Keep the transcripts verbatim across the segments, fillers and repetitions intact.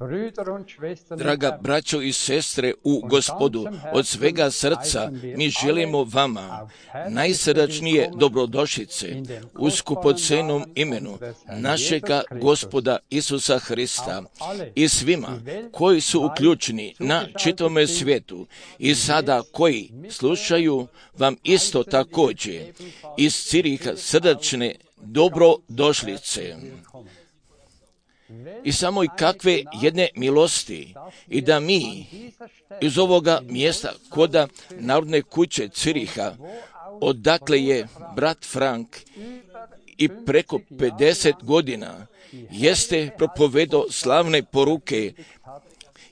Draga braćo i sestre, Draga braćo i sestre u Gospodu, od svega srca mi želimo vama najsrdačnije dobrodošlice u skupocenom imenu našega Gospoda Isusa Hrista i svima koji su uključeni na čitavome svijetu i sada koji slušaju vam isto također iz Ciriha srdačne dobrodošlice. I samo i kakve jedne milosti i da mi iz ovoga mjesta koda Narodne kuće Ciriha, odakle je brat Frank i preko pedeset godina jeste propovedao slavne poruke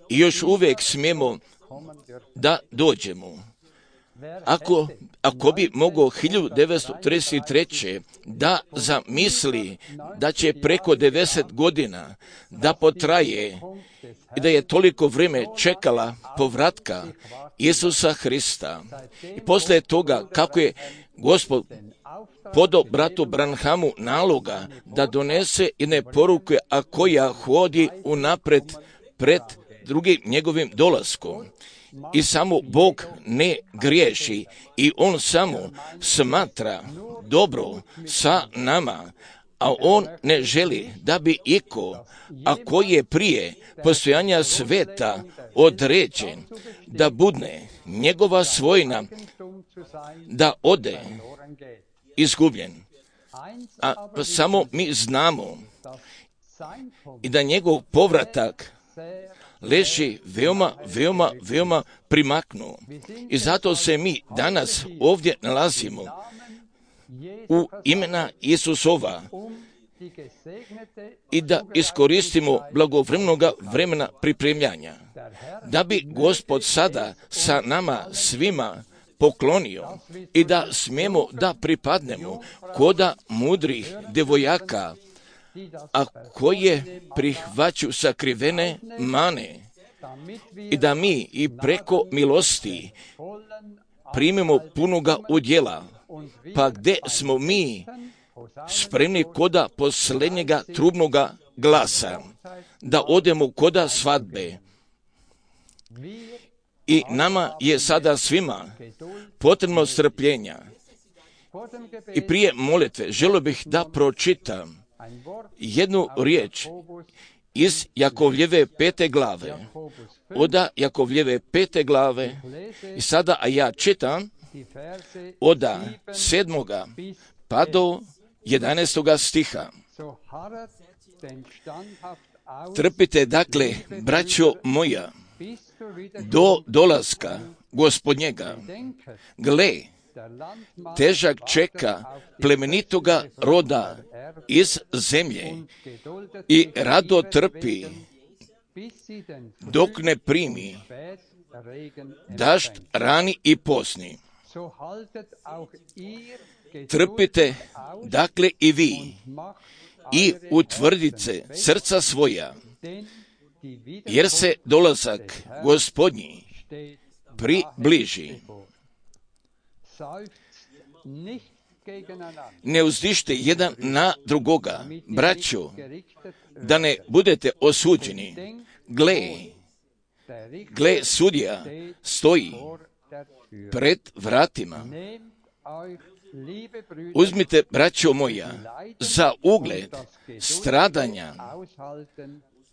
i još uvijek smijemo da dođemo. Ako, ako bi mogao hiljadu devetsto trideset treće da zamisli da će preko devedeset godina da potraje i da je toliko vrijeme čekala povratka Isusa Hrista i poslije toga kako je Gospod podao bratu Branhamu naloga da donese jedne poruke, a koja hodi unapred pred drugim njegovim dolaskom. I samo Bog ne griješi i On samo smatra dobro sa nama, a On ne želi da bi iko, a koji je prije postojanja sveta određen, da budne njegova svojina, da ode izgubljen. A samo mi znamo i da njegov povratak leži veoma, veoma, veoma primaknuo. I zato se mi danas ovdje nalazimo u imena Isusova i da iskoristimo blagovremenoga vremena pripremljanja, da bi Gospod sada sa nama svima poklonio i da smijemo da pripadnemo koda mudrih devojaka, a koje prihvaću sakrivene mane i da mi i preko milosti primimo punoga udjela, pa gdje smo mi spremni koda posljednjega trubnoga glasa, da odemo koda svadbe. I nama je sada svima potrebno strpljenja. I prije molitve želio bih da pročitam jednu riječ iz Jakovljeve pete glave, oda Jakovljeve pete glave, i sada, a ja čitam oda sedmoga pa do jedanaestoga stiha. Trpite dakle, braćo moja, do dolaska Gospodnjega. Gle, težak čeka plemenitoga roda iz zemlje i rado trpi dok ne primi dažd rani i posni. Trpite dakle i vi i utvrdite srca svoja, jer se dolazak Gospodnji približi. Ne uzdište jedan na drugoga, braćo, da ne budete osuđeni. Gle, gle, sudija stoji pred vratima. Uzmite, braćo moja, za ugled stradanja,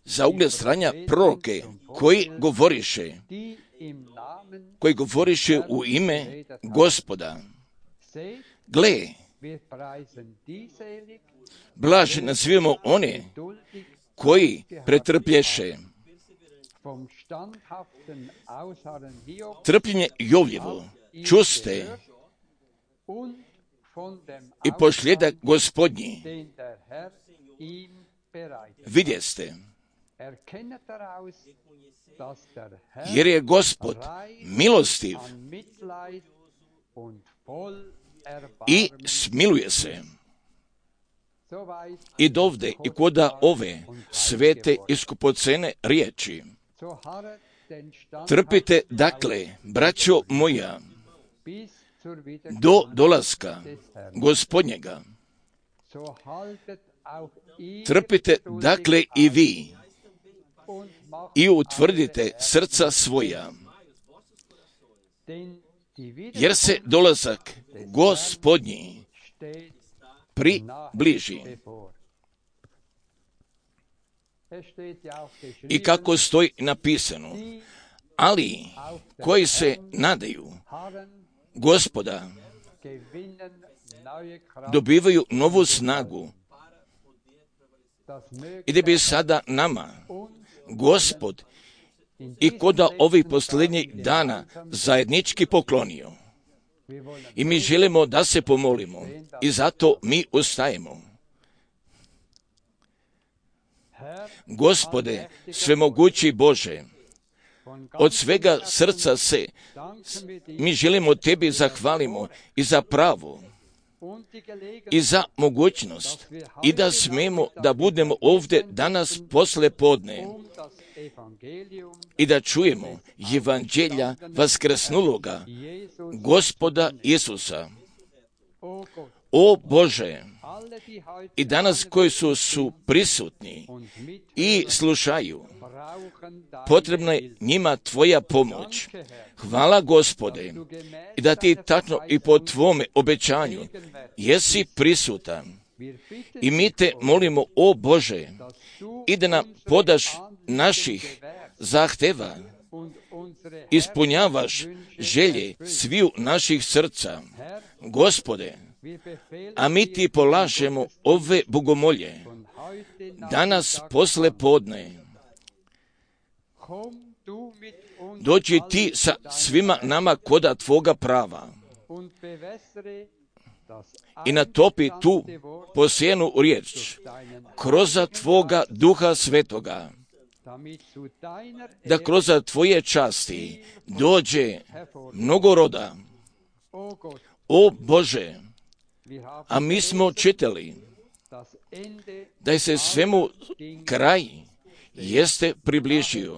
za ugled stradanja proroke koji govoriše, koji govoriše u ime Gospoda. Gle, blaže nazivamo one koji pretrpješe. Trpljenje Jovljevo čuste i posljedak Gospodnji vidjeste, jer je Gospod milostiv i smiluje se. I dovde i koda ove svete i skupocene riječi. Trpite dakle, braćo moja, do dolaska Gospodnjega. Trpite dakle i vi i utvrdite srca svoja, jer se dolazak Gospodnji približi. I kako stoji napisano, ali koji se nadaju Gospoda dobivaju novu snagu. I da bi sada nama Gospod i koda ovih posljednjih dana zajednički poklonio. I mi želimo da se pomolimo i zato mi ustajemo. Gospode, svemogući Bože, od svega srca se mi želimo Tebi zahvalimo i za pravo i za mogućnost i da smemo da budemo ovdje danas posle podne i da čujemo evanđelja vaskrsnuloga Gospoda Isusa. O Bože, i danas koji su, su prisutni i slušaju, potrebna je njima Tvoja pomoć. Hvala Gospode, i da Ti tačno i po Tvome obećanju jesi prisutan. I mi Te molimo, o Bože, i da nam podaš naših zahteva, ispunjavaš želje sviju naših srca. Gospode, a mi Ti polažemo ove bogomolje danas posle podne. Dođi Ti sa svima nama koda Tvoga prava i natopi tu posijenu riječ kroz Tvoga Duha Svetoga, da kroz Tvoje časti dođe mnogo roda. O Bože, a mi smo čitali da se svemu kraj jeste približio.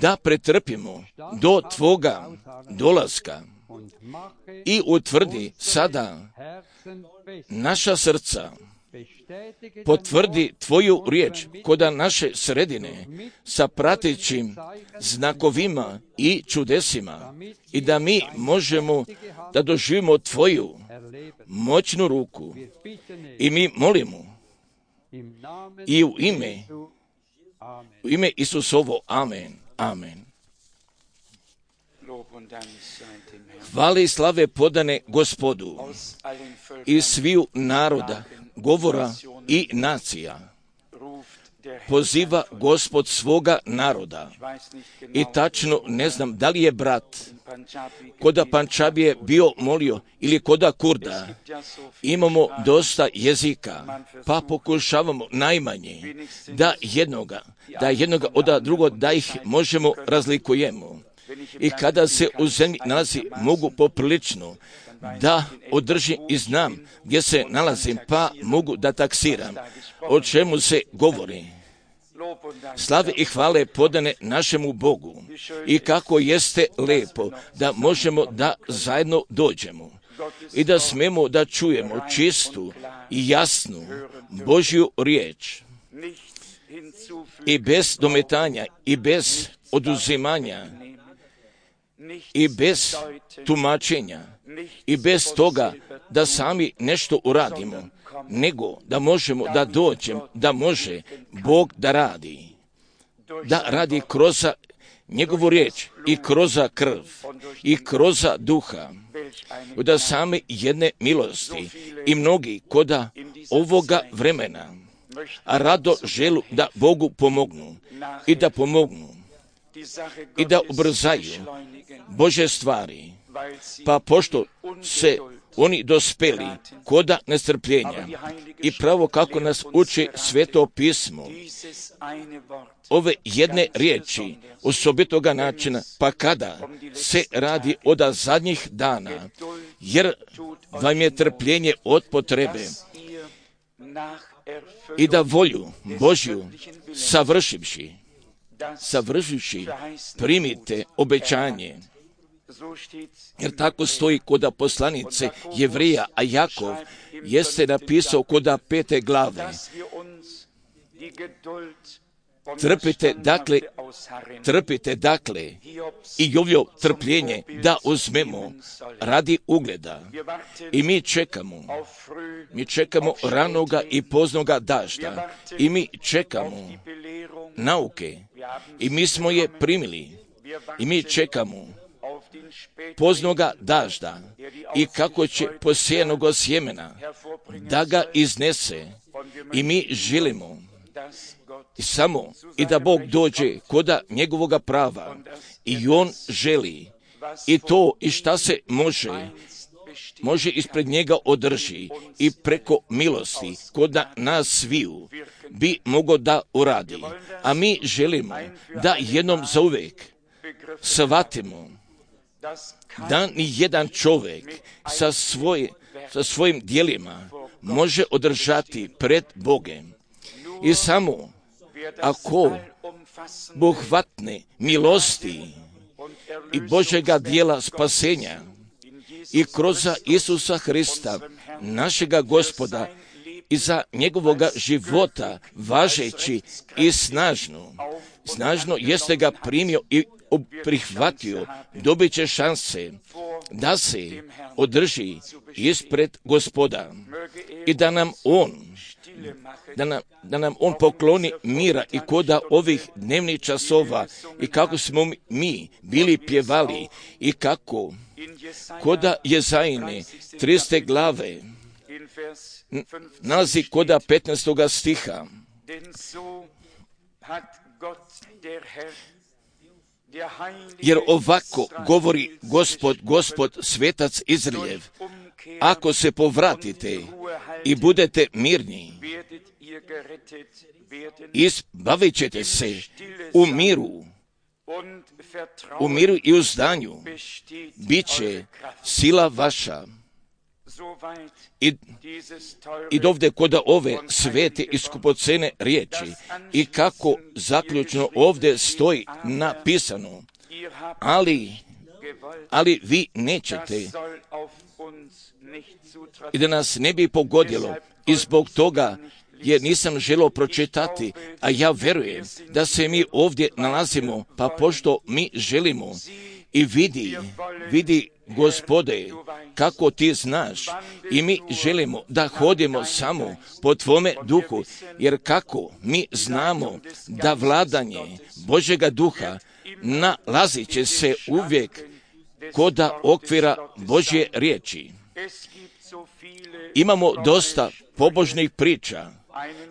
Da pretrpimo do Tvoga dolaska i utvrdi sada naša srca, potvrdi Tvoju riječ koda naše sredine sa pratećim znakovima i čudesima i da mi možemo da doživimo Tvoju moćnu ruku. I mi molimo i u ime u ime Isusovo. Amen. Amen. Hvale i slave podane Gospodu iz sviju naroda, govora i nacija. Poziva Gospod svoga naroda. I tačno ne znam da li je brat koda Pančabije bio molio ili koda Kurda. Imamo dosta jezika, pa pokušavamo najmanje da jednoga, da jednoga od drugog, da ih možemo razlikujemo. I kada se u zemlji nalazi, mogu poprilično da održim i znam gdje se nalazim, pa mogu da taksiram o čemu se govori. Slave i hvale podane našemu Bogu i kako jeste lepo da možemo da zajedno dođemo i da smemo da čujemo čistu i jasnu Božju riječ i bez dometanja i bez oduzimanja i bez tumačenja i bez toga da sami nešto uradimo, nego da možemo da dođemo, da može Bog da radi, da radi kroz njegovu riječ i kroz krv i kroz duha, da same jedne milosti i mnogi koda ovoga vremena a rado želu da Bogu pomognu i da pomognu i da ubrzaju Bože stvari, pa pošto se oni dospeli koda nestrpljenja i pravo kako nas uči Sveto pismo, ove jedne riječi osobitoga načina, pa kada se radi od zadnjih dana, jer vam je trpljenje od potrebe i da volju Božju savršivši, savršivši primite obećanje. Jer tako stoji koda poslanice Jevrija, a Jakov jeste napisao koda pete glave. Trpite dakle, trpite dakle i ovjo trpljenje da uzmemo radi ugleda. I mi čekamo, mi čekamo ranoga i poznoga dažda i mi čekamo nauke i mi smo je primili i mi čekamo poznoga dažda i kako će posijenoga sjemena da ga iznese i mi želimo i samo i da Bog dođe koda njegovoga prava i on želi i to i šta se može može ispred njega održi i preko milosti koda nas sviju bi mogo da uradi, a mi želimo da jednom zauvek shvatimo da ni jedan čovjek sa, svoje, sa svojim djelima može održati pred Bogem. I samo ako bohvatne milosti i Božega djela spasenja i kroz Isusa Hrista, našega Gospoda, i za njegovoga života važeći i snažno, snažno jeste ga primio i prihvatio, dobit će šanse da se održi ispred Gospoda i da nam on da nam, da nam on pokloni mira i koda ovih dnevnih časova i kako smo mi bili pjevali i kako koda Jezajine triste glave nalazi koda petnaestoga stiha. Jer ovako govori Gospod, Gospod, svetac Izraeljev, ako se povratite i budete mirni, izbavit ćete se u miru, u miru i u zdanju, bit će sila vaša. I, i dovde koda ove svete i skupocene riječi i kako zaključno ovdje stoji napisano, ali, ali vi nećete i da nas ne bi pogodilo i zbog toga jer nisam želio pročitati, a ja verujem da se mi ovdje nalazimo, pa pošto mi želimo i vidi, vidi Gospode, kako ti znaš i mi želimo da hodimo samo po tvome duhu, jer kako mi znamo da vladanje Božega duha nalazit će se uvijek koda okvira Božje riječi. Imamo dosta pobožnih priča.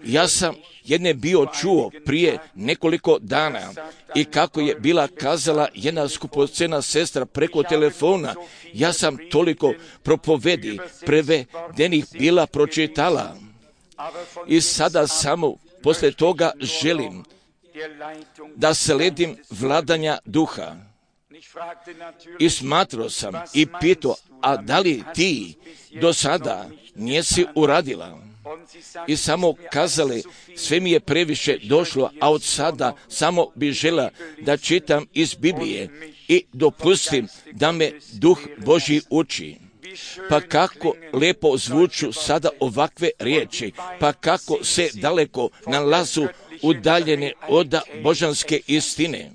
Ja sam jedne bio čuo prije nekoliko dana i kako je bila kazala jedna skupocena sestra preko telefona, ja sam toliko propovedi prevedenih bila pročitala i sada samo poslije toga želim da sledim vladanja duha. I smatrao sam i pitao, a da li ti do sada nisi uradila? I samo kazali, sve mi je previše došlo, a od sada samo bi žela da čitam iz Biblije i dopustim da me Duh Božji uči. Pa kako lepo zvuču sada ovakve riječi, pa kako se daleko nalazu udaljene od božanske istine.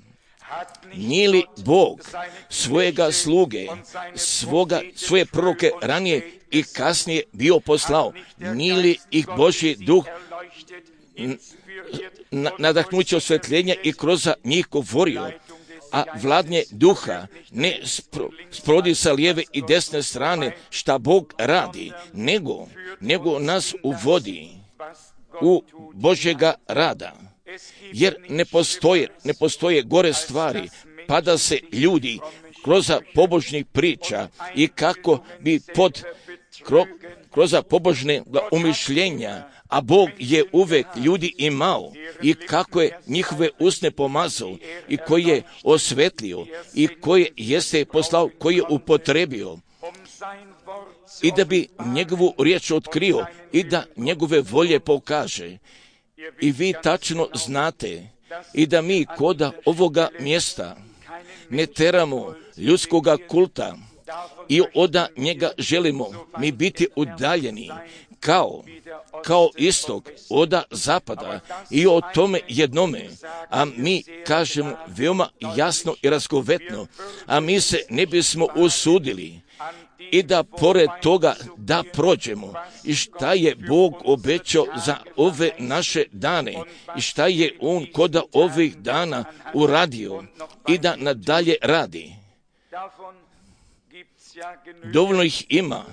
Nije li Bog svojega sluge, svoga, svoje proroke ranije i kasnije bio poslao? Nije li ih Božji duh nadahnuće osvjetljenja i kroz njih govorio? A vladnje duha ne spro, sprodi sa lijeve i desne strane šta Bog radi, nego, nego nas uvodi u Božjega rada. Jer ne postoje, ne postoje gore stvari, pa da se ljudi kroz pobožnih priča i kako bi pod kro, kroz pobožne umišljenja, a Bog je uvek ljudi imao i kako je njihove usne pomazao i koji je osvetlio i koji jeste poslao, koji je upotrebio i da bi njegovu riječ otkrio i da njegove volje pokaže. I vi tačno znate i da mi koda ovoga mjesta ne teramo ljudskoga kulta i od njega želimo mi biti udaljeni kao, kao istok od zapada i o tome jednome, a mi kažemo veoma jasno i razgovetno, a mi se ne bismo usudili i da pored toga da prođemo i šta je Bog obećao za ove naše dane i šta je On kod ovih dana uradio i da nadalje radi. Dovoljno ih ima,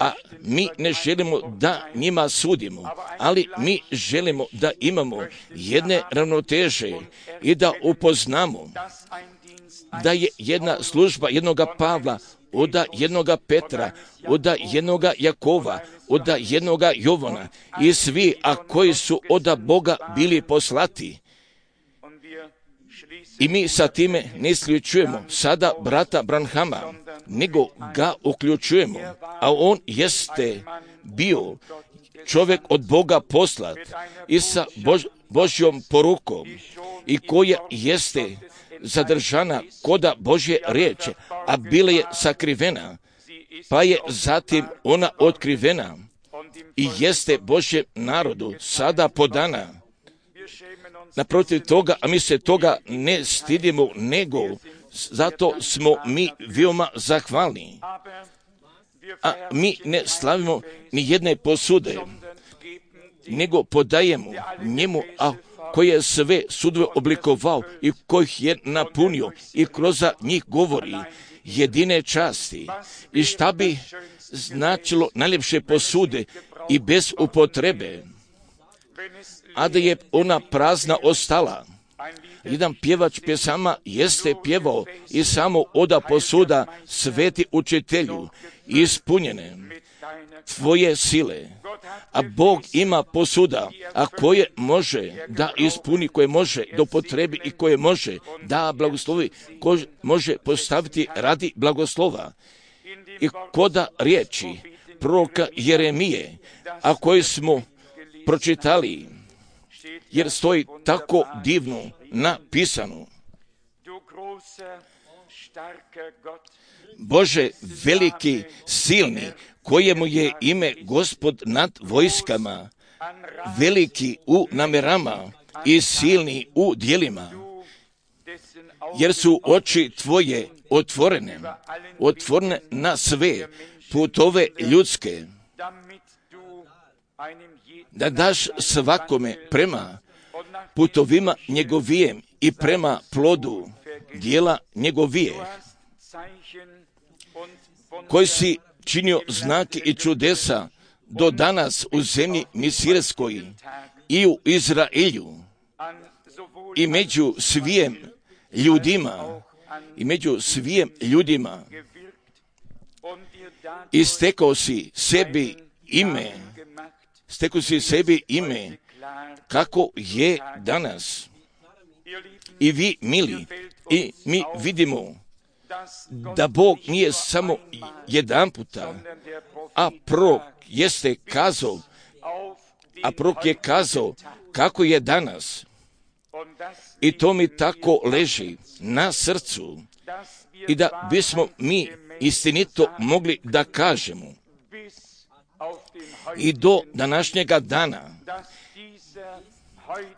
a mi ne želimo da njima sudimo, ali mi želimo da imamo jedne ravnoteže i da upoznamo da je jedna služba jednoga Pavla, od jednoga Petra, od jednoga Jakova, od jednoga Jovana i svi, a koji su od Boga bili poslati. I mi sa time ne isključujemo sada brata Branhama, nego ga uključujemo, a on jeste bio čovjek od Boga poslat i sa Bož, Božjom porukom i koja jeste zadržana koda Božje riječi, a bila je sakrivena, pa je zatim ona otkrivena i jeste Božjem narodu sada podana. Naprotiv toga, a mi se toga ne stidimo, nego zato smo mi veoma zahvalni. A mi ne slavimo ni jedne posude, nego podajemo njemu, a koji je sve sudove oblikovao i kojih je napunio i kroz njih govori jedine časti. I šta bi značilo najljepše posude i bez upotrebe, a da je ona prazna ostala. Jedan pjevač pjesama jeste pjevao i samo oda posuda sveti učitelju ispunjene tvoje sile. A Bog ima posuda, a koje može da ispuni, koje može da upotrebi i koje može da blagoslovi, koje može postaviti radi blagoslova. I koda riječi proroka Jeremije, a koje smo pročitali, jer stoji tako divno napisano. Bože veliki, silni, kojemu je ime Gospod nad vojskama, veliki u namerama i silni u djelima, jer su oči tvoje otvorene, otvorene na sve putove ljudske, da daš svakome prema putovima njegovijem i prema plodu dijela njegovije, koji si činio znake i čudesa do danas u zemlji Misirskoj i u Izraelju i među svijem ljudima i među svijem ljudima i stekao si sebi ime, stekao si sebi ime kako je danas. I vi, mili, i mi vidimo da Bog nije samo jedan puta, a prorok jeste kazao, a prorok je kazao kako je danas. I to mi tako leži na srcu i da bismo mi istinito mogli da kažemo i do današnjega dana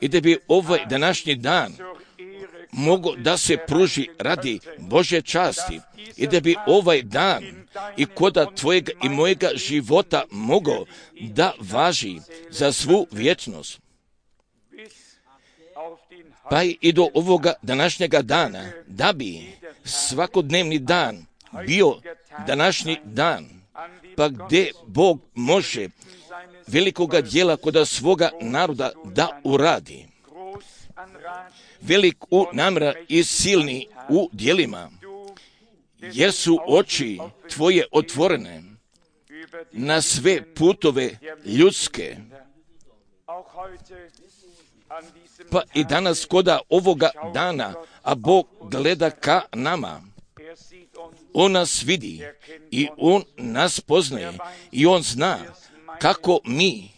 i da bi ovaj današnji dan mogo da se pruži radi Božje časti i da bi ovaj dan i koda tvojega i mojega života mogo da važi za svu vječnost. Pa i do ovoga današnjega dana, da bi svakodnevni dan bio današnji dan, pa gdje Bog može velikoga djela kod svoga naroda da uradi. Velik u namjera i silni u djelima, jer su oči tvoje otvorene na sve putove ljudske. Pa i danas koda ovoga dana, a Bog gleda ka nama. On nas vidi i On nas poznaje i On zna kako mi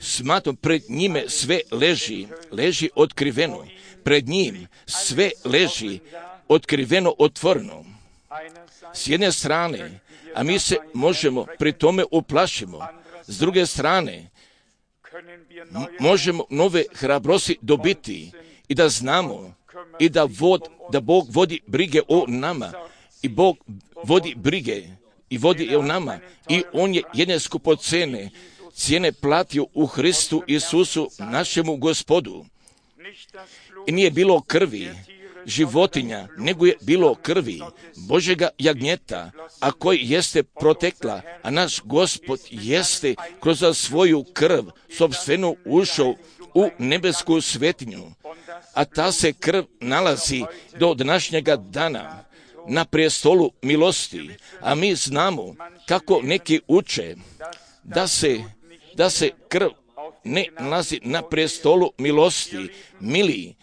smatram pred njime sve leži, leži otkriveno. Pred njim sve leži otkriveno, otvoreno. S jedne strane, a mi se možemo pri tome uplašimo. S druge strane, m- možemo nove hrabrosti dobiti i da znamo i da, vod, da Bog vodi brige o nama i Bog vodi brige i vodi o nama i On je jedne skupocene cijene platio u Hristu Isusu našemu Gospodu. I nije bilo krvi životinja, nego je bilo krvi Božjega jagnjeta, a koji jeste protekla, a naš Gospod jeste kroz svoju krv sopstvenu ušao u nebesku svetinju, a ta se krv nalazi do današnjega dana na prestolu milosti, a mi znamo kako neki uče da se, da se krv ne nalazi na prestolu milosti, mili.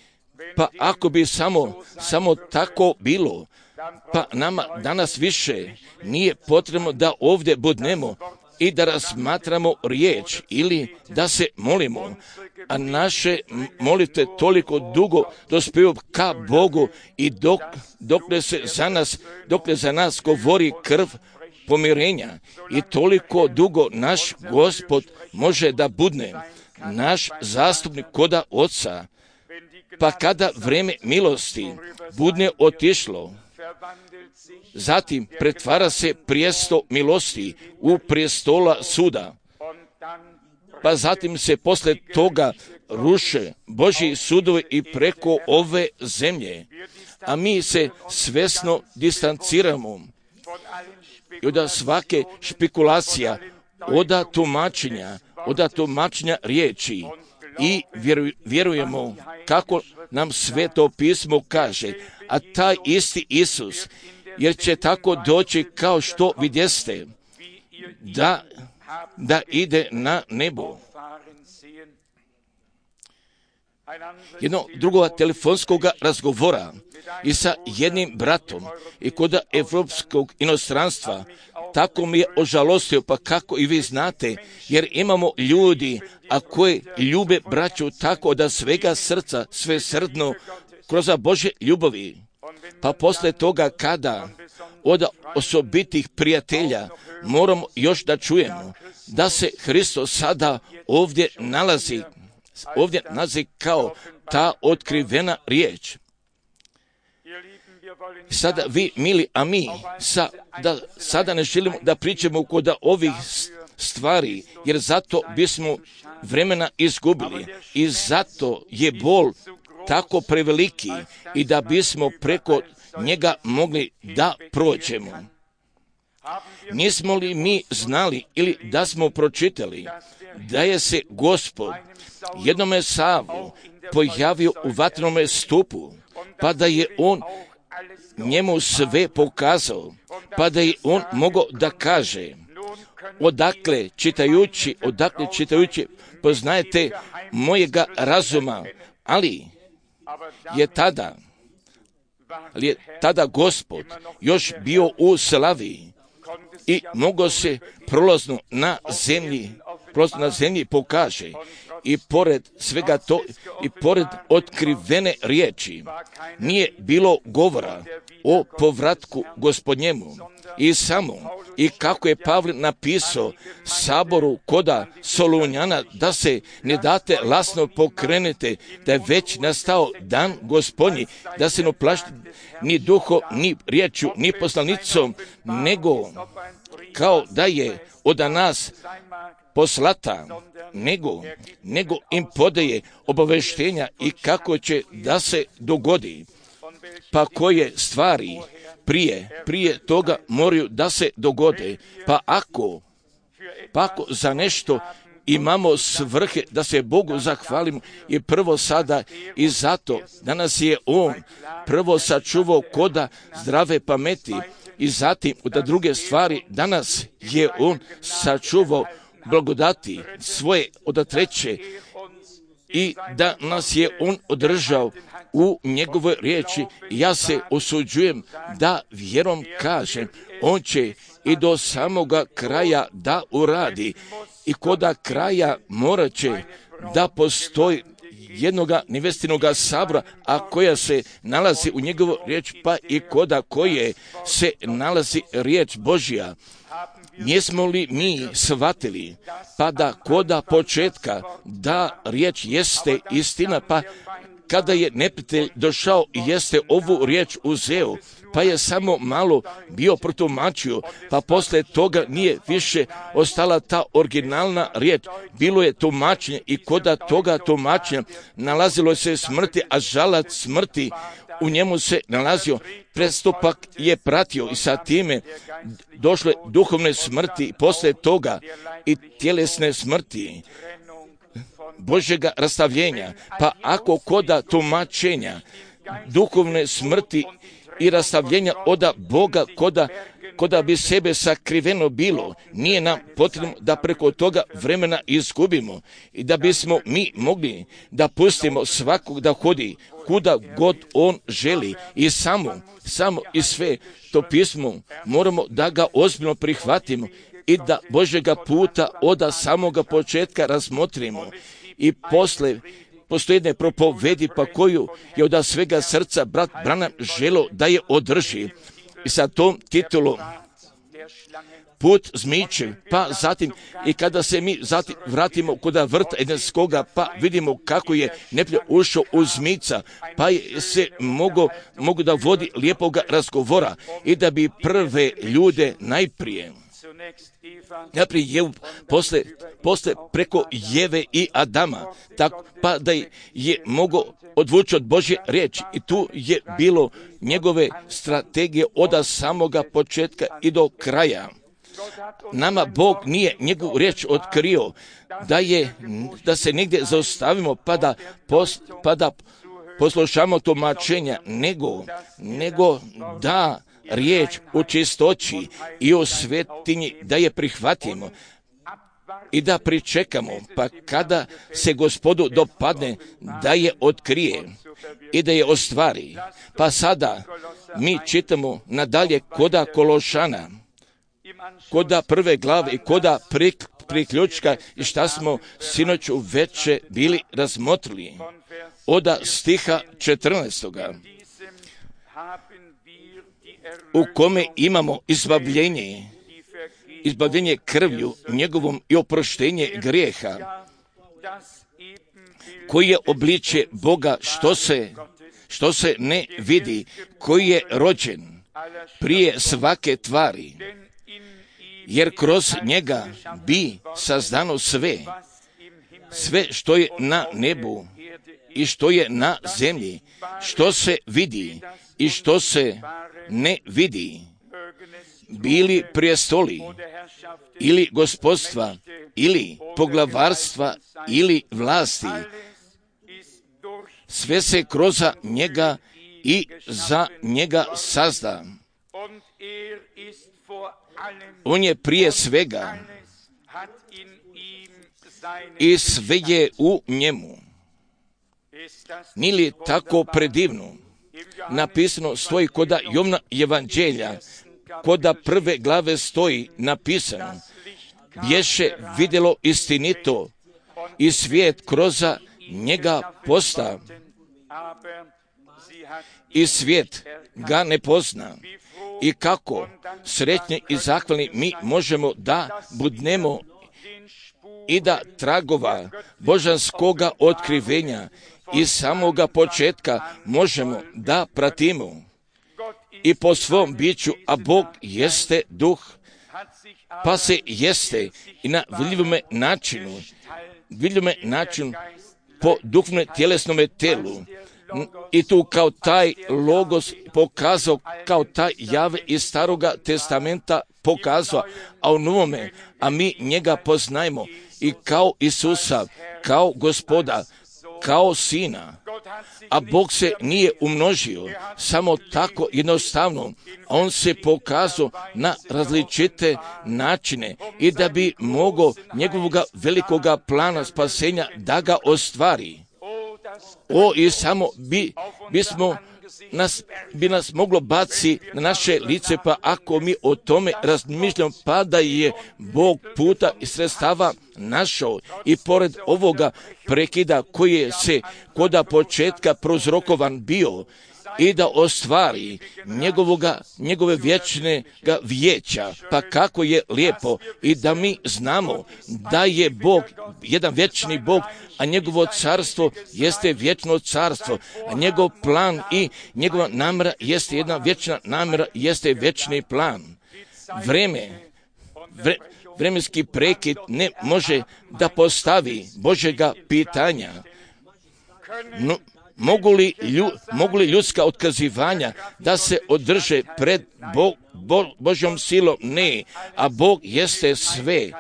Pa ako bi samo, samo tako bilo, pa nama danas više nije potrebno da ovdje budnemo i da razmatramo riječ ili da se molimo, a naše molitve toliko dugo dospiju ka Bogu i dok, dokle se za nas, dokle za nas govori krv pomirenja i toliko dugo naš Gospod može da budne naš zastupnik koda Oca. Pa kada vrijeme milosti budne otišlo, zatim pretvara se prijesto milosti u prijestola suda. Pa zatim se posle toga ruše Božji sudovi i preko ove zemlje, a mi se svesno distanciramo i od svake špekulacija, od tumačenja, od tumačenja riječi i vjerujemo kako nam Sveto pismo kaže, a taj isti Isus, jer će tako doći kao što vidjeste, da, da ide na nebo. Jedno drugog telefonskog razgovora i sa jednim bratom i kod evropskog inostranstva, tako mi je ožalostio, pa kako i vi znate, jer imamo ljudi, a koji ljube braću tako da svega srca, sve srdno, kroz Božje ljubavi. Pa posle toga kada od osobitih prijatelja moramo još da čujemo da se Hristos sada ovdje nalazi, ovdje nalazi kao ta otkrivena riječ. Sada vi, mili, a mi sa, da, sada ne želimo da pričamo kod ovih stvari, jer zato bismo vremena izgubili i zato je bol tako preveliki i da bismo preko njega mogli da prođemo. Nismo li mi znali ili da smo pročitali da je se Gospod jednome Savu pojavio u vatrenome stupu, pa da je on njemu sve pokazao, pa da je on mogao da kaže, odakle čitajući, odakle čitajući, poznajete mojega razuma, ali je tada, ali je tada Gospod još bio u slavi i mogao se prolazno na zemlji, prolazno na zemlji pokaže. I pored svega to, i pored otkrivene riječi, nije bilo govora o povratku Gospodnjemu. I samo, i kako je Pavle napisao saboru koda Solunjana, da se ne date lasno pokrenete, da je već nastao dan Gospodnji, da se ne uplašite ni duho, ni riječju, ni poslanicom, nego kao da je od nas poslata, nego, nego im podaje obaveštenja i kako će da se dogodi. Pa koje stvari prije, prije toga moraju da se dogode. Pa ako, pa ako za nešto imamo svrhe da se Bogu zahvalimo i prvo sada i zato da nas je On prvo sačuvao koda zdrave pameti i zatim da druge stvari danas je On sačuvao blagodati svoje od treće i da nas je On održao u njegovoj riječi. Ja se osuđujem da vjerom kažem, On će i do samoga kraja da uradi i koda kraja morat će da postoji jednoga nevestinoga sabora, a koja se nalazi u njegovu riječ, pa i koda koje se nalazi riječ Božja. Jesmo li mi shvatili, pa da koda početka da riječ jeste istina, pa kada je neprijatelj došao i jeste ovu riječ uzeo, pa je samo malo bio protumačio, pa posle toga nije više ostala ta originalna riječ. Bilo je tumačenje i koda toga tumačenja nalazilo se smrti, a žalac smrti u njemu se nalazio. Prestupak je pratio i sa time došle duhovne smrti i posle toga i tjelesne smrti Božjega rastavljenja. Pa ako koda tumačenja duhovne smrti i rastavljenja oda Boga koda, koda bi sebe sakriveno bilo, nije nam potrebno da preko toga vremena izgubimo i da bismo mi mogli da pustimo svakog da hodi kuda god on želi i samo, samo i sve to pismo moramo da ga ozbiljno prihvatimo i da Božjega puta od samoga početka razmotrimo i posle postoji jedne propovedi pa koju je od svega srca brat Branham želo da je održi i sa tom titulom Put zmiče, pa zatim i kada se mi zatim vratimo kod vrta Edenskoga, pa vidimo kako je neprijatelj ušao u zmica, pa je se mogo, mogu da vodi lijepoga razgovora i da bi prve ljude najprije Najprije je posle, posle preko Jeve i Adama, tako, pa da je mogo odvući od Božje riječi i tu je bilo njegove strategije od samoga početka i do kraja. Nama Bog nije njegovu riječ otkrio da, je, da se negdje zaustavimo pa da, pos, pa da poslušamo tumačenja, nego, nego da riječ u čistoći i u svetinji da je prihvatimo i da pričekamo, pa kada se Gospodu dopadne da je otkrije i da je ostvari. Pa sada mi čitamo nadalje koda Kološana, koda prve glave i koda prik, priključka i šta smo sinoć uveče bili razmotrili. Oda stiha četrnaestoga u kome imamo izbavljenje, izbavljenje krvlju njegovom i oproštenje grijeha, koji je obličje Boga što se, što se ne vidi, koji je rođen prije svake tvari, jer kroz njega bi sazdano sve, sve što je na nebu i što je na zemlji, što se vidi i što se ne vidi, bili prijestoli ili gospodstva ili poglavarstva ili vlasti, sve se kroz njega i za njega sazda. On je prije svega i sve je u njemu. Nije li tako predivno? Napisano stoji koda Jovna evanđelja, koda prve glave stoji napisano, bješe vidjelo istinito i svijet kroz njega posta i svijet ga ne pozna. I kako sretni i zahvalni mi možemo da budnemo i da tragova božanskoga otkrivenja i samoga početka možemo da pratimo i po svom biću, a Bog jeste duh, pa se jeste i na vidljivome načinu, vidljivome načinu po duhovnom tjelesnome telu, i tu kao taj logos pokazao, kao taj jave iz Staroga testamenta pokazao, a u Novome, a mi njega poznajemo i kao Isusa, kao Gospoda, kao Sina. A Bog se nije umnožio samo tako jednostavno, a On se pokazao na različite načine i da bi mogao njegovog velikoga plana spasenja da ga ostvari. O, i samo bi, bismo nas, bi nas moglo baci na naše lice, pa ako mi o tome razmišljamo, pa da je Bog puta i sredstava našao i pored ovoga prekida koji je se koda početka prozrokovan bio i da ostvari njegovoga, njegove vječnega vijeća, pa kako je lijepo i da mi znamo da je Bog jedan vječni Bog, a njegovo carstvo jeste vječno carstvo, a njegov plan i njegova namjera jeste jedna vječna namjera, jeste vječni plan. Vreme, vre, vremenski prekid ne može da postavi Božjega pitanja. No, Mogu li, lju, mogu li ljudska otkazivanja da se održe pred Bo, Bo, Božjom silom? Ne, a Bog jeste sve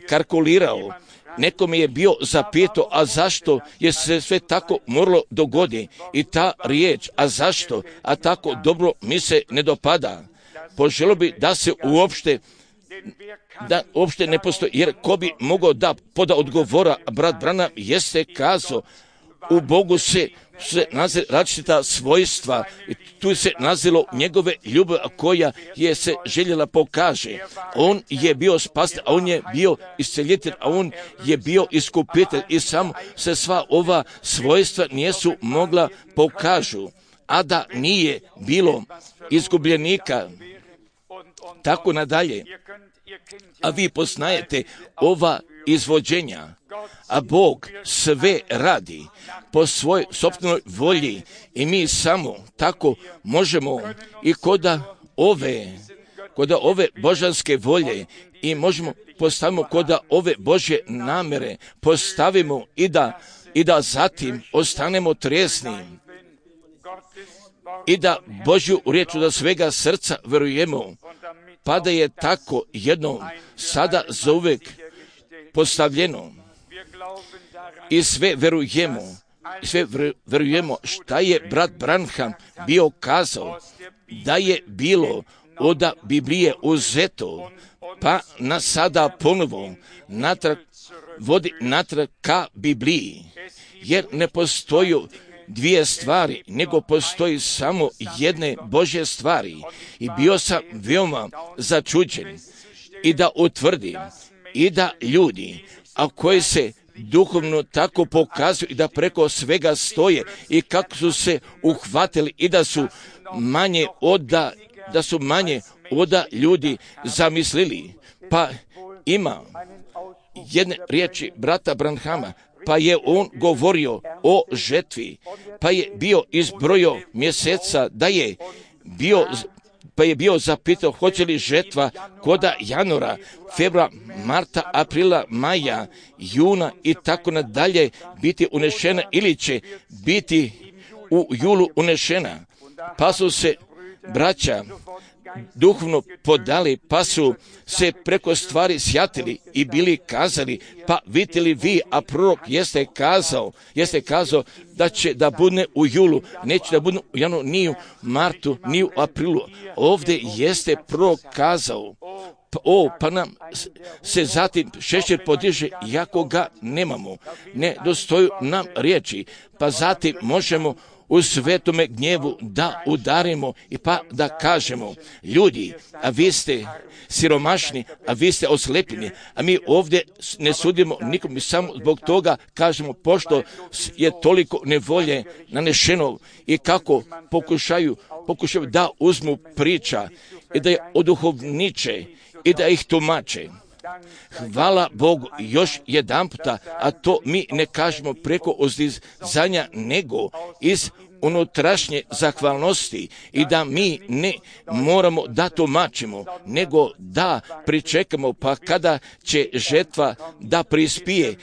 kalkulirao. Neko mi je bio zapitao, a zašto je se sve tako moralo dogodi? I ta riječ, a zašto, a tako dobro mi se ne dopada. Poželio bi da se uopšte da uopšte ne postoji, jer ko bi mogao da poda odgovora, brat Branham jeste kazao, u Bogu se se nalaze različita svojstva i tu se nalazilo njegove ljubav koja je se željela pokaže. On je bio spasitelj, a on je bio isceljitelj, a on je bio iskupitelj i samo se sva ova svojstva nisu mogla pokažu, a da nije bilo izgubljenika. Tako nadalje. A vi poznajete ova izvođenja, a Bog sve radi po svojoj sopstvenoj volji i mi samo tako možemo i koda ove, koda ove božanske volje i možemo postavimo koda ove Božje namere postavimo i da, i da zatim ostanemo trijesni i da Božju riječ da svega srca verujemo, pa da je tako jedno sada zauvek postavljeno i sve verujemo, i sve verujemo šta je brat Branham bio kazao, da je bilo od Biblije uzeto, pa na sada ponovo natrag, vodi natrag ka Bibliji, jer ne postoji dvije stvari, nego postoji samo jedne Božje stvari. I bio sam veoma začuđen i da utvrdim i da ljudi, a koji se duhovno tako pokazuju i da preko svega stoje i kako su se uhvatili i da su manje oda, da su manje oda ljudi zamislili. Pa ima jedne riječi brata Branhama, pa je on govorio o žetvi, pa je bio izbrojio mjeseca da je bio, pa je bio zapitao hoće li žetva koda januara, februara, marta, aprila, maja, juna i tako nadalje biti unešena ili će biti u julu unešena. Pa su se braća duhovno podali, pa su se preko stvari sjatili i bili kazali, pa vidite li vi, a prorok jeste kazao, jeste kazao da će da bude u julu, neće da bude u januaru, ni u martu, ni u aprilu. Ovdje jeste prorok kazao, o, pa nam se zatim šešir podiže, jako ga nemamo, ne dostoju nam riječi, pa zatim možemo u svetome gnjevu da udarimo i pa da kažemo, ljudi, a vi ste siromašni, a vi ste oslepljeni, a mi ovdje ne sudimo nikom i samo zbog toga kažemo, pošto je toliko nevolje nanešeno i kako pokušaju, pokušaju da uzmu priča i da je oduhovniče i da ih tumače. Hvala Bogu još jedan puta, a to mi ne kažemo preko uzdizanja, nego iz unutrašnje zahvalnosti i da mi ne moramo da tumačimo, nego da pričekamo, pa kada će žetva da prispije,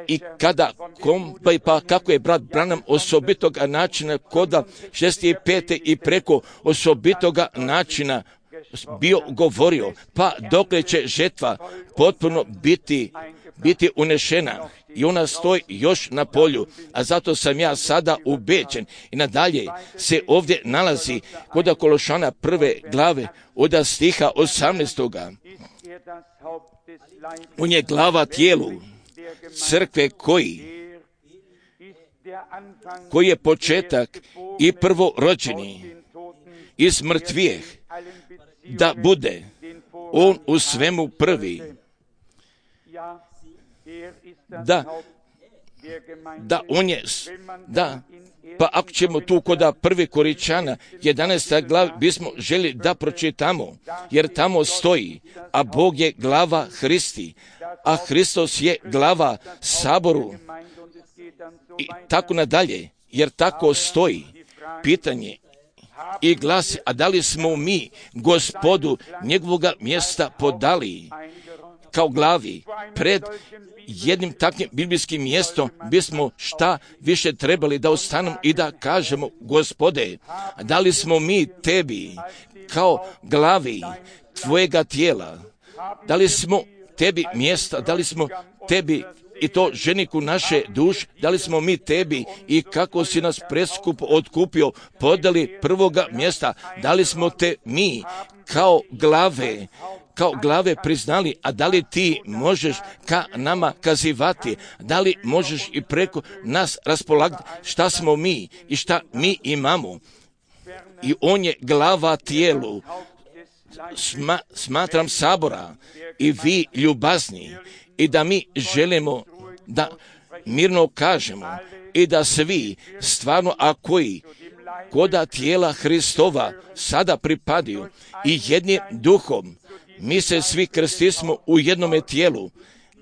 i kada kompa i pa kako je brat Branham osobitoga načina koda šezdeset pete i preko osobitoga načina bio govorio, pa dokle će žetva potpuno biti, biti unešena i ona stoji još na polju, a zato sam ja sada ubeđen i nadalje se ovdje nalazi kod Kološana prve glave od stiha osamnaestoga. On je glava tijelu crkve koji koji je početak i prvorođeni iz mrtvijeh, da bude on u svemu prvi. Da, da on je, da, pa ako ćemo tu koda prvi Koričana, jedanaesta glava, bismo želi da pročitamo, jer tamo stoji, a Bog je glava Hristi, a Hristos je glava Saboru i tako nadalje, jer tako stoji. Pitanje i glasi, a da li smo mi Gospodu njegovoga mjesta podali kao glavi pred jednim takvim biblijskim mjestom bismo šta više trebali da ostanemo i da kažemo, Gospode, da li smo mi tebi kao glavi tvojega tijela, da li smo tebi mjesta, da li smo tebi i to ženiku naše duše, da li smo mi tebi i kako si nas preskupo otkupio podali prvoga mjesta, da li smo te mi kao glave kao glave priznali, a da li ti možeš ka nama kazivati, da li možeš i preko nas raspolagati šta smo mi i šta mi imamo. I on je glava tijelu, Sma, smatram Sabora i vi ljubazni i da mi želimo da mirno kažemo i da svi stvarno, a koji koda tijela Hristova sada pripadaju i jednim duhom, mi se svi krstismo u jednome tijelu,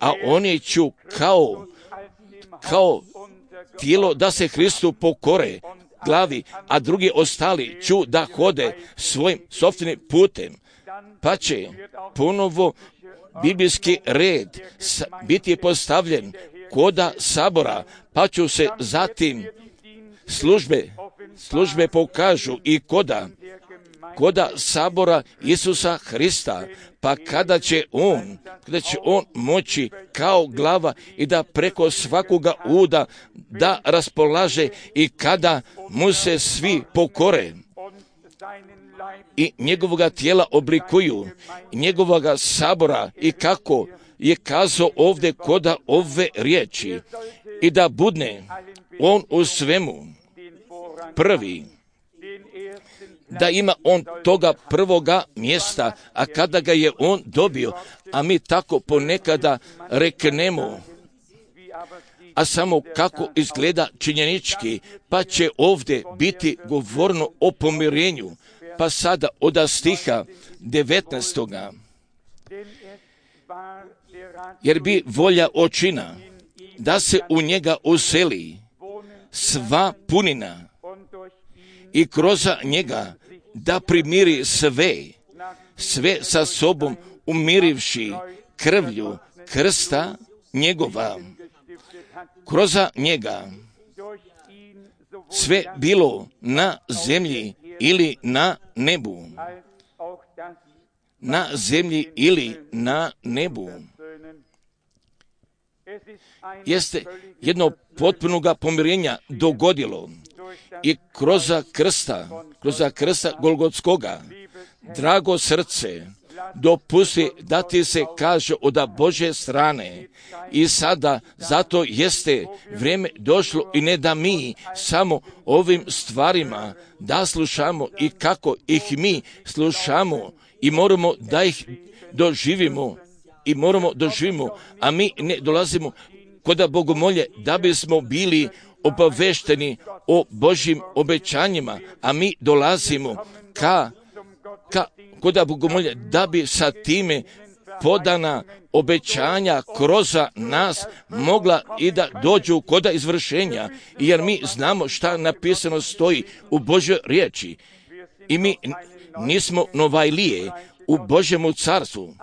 a oni ću kao, kao tijelo da se Hristu pokore glavi, a drugi ostali ću da hode svojim sopstvenim putem, pa će ponovo biblijski red biti postavljen koda Sabora, pa ću se zatim službe, službe pokažu i koda, koda Sabora Isusa Hrista, pa kada će on, kada će on moći kao glava i da preko svakoga uda da raspolaže i kada mu se svi pokore i njegovoga tijela oblikuju, njegovoga Sabora i kako je kazao ovdje koda ove riječi i da budne on u svemu prvi, da ima on toga prvoga mjesta, a kada ga je on dobio, a mi tako ponekada reknemo, a samo kako izgleda činjenički, pa će ovdje biti govorno o pomirenju, pa sada od stiha devetnaestoga. Jer bi volja očina da se u njega useli sva punina i kroz njega da primiri sve, sve sa sobom umirivši krvlju krsta njegova. Kroz njega sve bilo na zemlji ili na nebu. Na zemlji ili na nebu. Jeste jedno potpunoga pomirenja dogodilo i kroz krsta, kroz krsta Golgotskoga, drago srce, dopusti da ti se kaže od Božje strane i sada zato jeste vrijeme došlo i ne da mi samo ovim stvarima da slušamo i kako ih mi slušamo i moramo da ih doživimo i moramo doživimo, a mi ne dolazimo kod bogomolje da bismo bili obavešteni o Božjim obećanjima, a mi dolazimo ka, ka kod bogomolje da bi sa time podana obećanja kroz nas mogla i da dođu kod izvršenja, jer mi znamo šta napisano stoji u Božjoj riječi i mi nismo novajlije u Božjemu carstvu,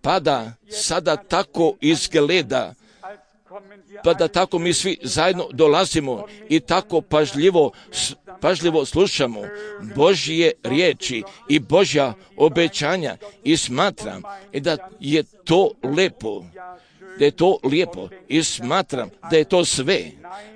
pa da sada tako izgleda pa da tako mi svi zajedno dolazimo i tako pažljivo, pažljivo slušamo Božje riječi i Božja obećanja i smatram da je to lepo, da je to lijepo i smatram da je to sve.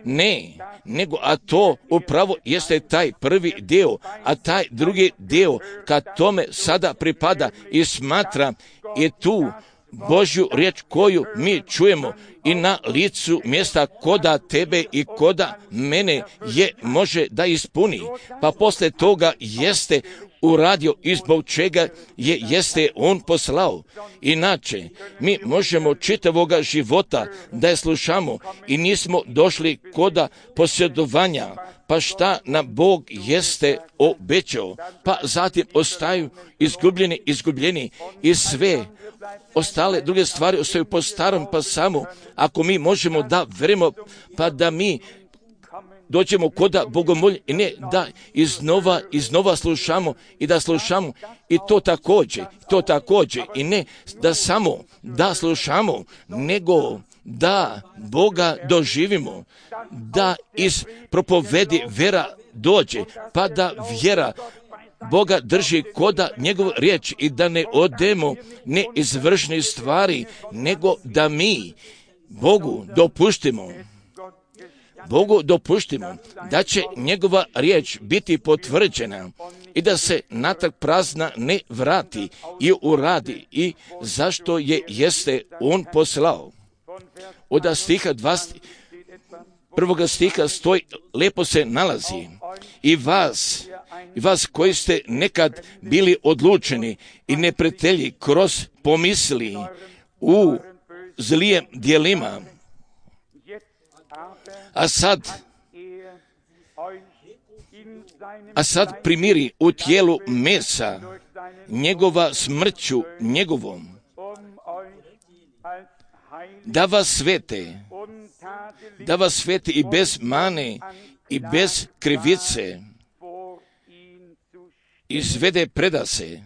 Ne, nego, a to upravo jeste taj prvi dio, a taj drugi dio kad tome sada pripada i smatram i tu Božju riječ koju mi čujemo i na licu mjesta koda tebe i koda mene je može da ispuni. Pa posle toga jeste uradio i zbog čega je jeste on poslao. Inače, mi možemo čitavoga života da je slušamo i nismo došli koda posjedovanja. Pa šta nam Bog jeste obećao? Pa zatim ostaju izgubljeni, izgubljeni i sve ostale druge stvari ostaju po starom, pa samo ako mi možemo da verimo, pa da mi dođemo koda bogomolje i ne da iznova, iznova slušamo i da slušamo i to također, to također i ne da samo da slušamo, nego da Boga doživimo, da iz propovedi vera dođe, pa da vjera Boga drži koda njegov riječ i da ne odemo ne izvršne stvari, nego da mi Bogu dopuštimo, Bogu dopuštimo da će njegova riječ biti potvrđena i da se natrag prazna ne vrati i uradi i zašto je jeste on poslao. Od stiha dvadeset prvoga stiha stoji, lepo se nalazi i vas, i vas koji ste nekad bili odlučeni i neprijatelji kroz pomisli u zlijem djelima, a sad, a sad primiri u tijelu mesa njegova smrću njegovom, da vas svete, da vas svete i bez mane i bez krivice izvede predase.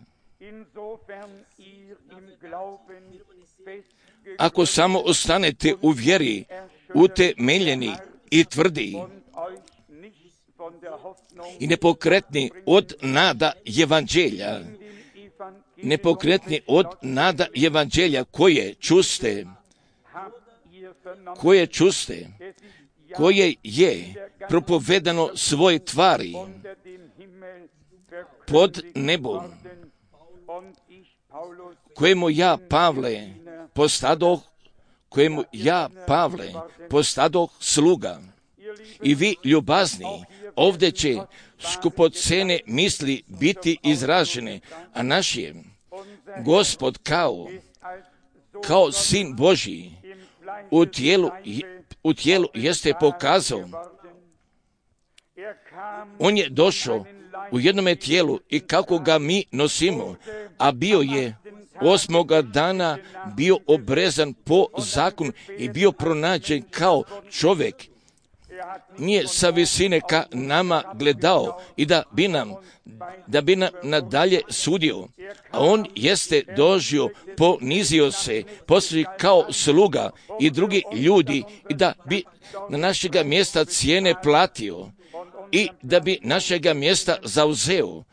Ako samo ostanete u vjeri, utemeljeni i tvrdi i nepokretni od nada evanđelja, nepokretni od nada evanđelja koje čuste, koje čuste, koje je propovedano svoj tvari pod nebom, kojemu ja, Pavle, postadoh, kojemu ja, Pavle, postadoh sluga. I vi, ljubazni, ovdje će skupocene misli biti izražene, a naš je Gospod kao, kao Sin Božji u tijelu, u tijelu jeste pokazao. On je došao u jednome tijelu i kako ga mi nosimo, a bio je osmoga dana bio obrezan po zakonu i bio pronađen kao čovjek. Nije sa visine ka nama gledao i da bi nam, da bi nam nadalje sudio. A on jeste dožio, ponizio se, postoji kao sluga i drugi ljudi i da bi na našega mjesta cijene platio i da bi našega mjesta zauzeo,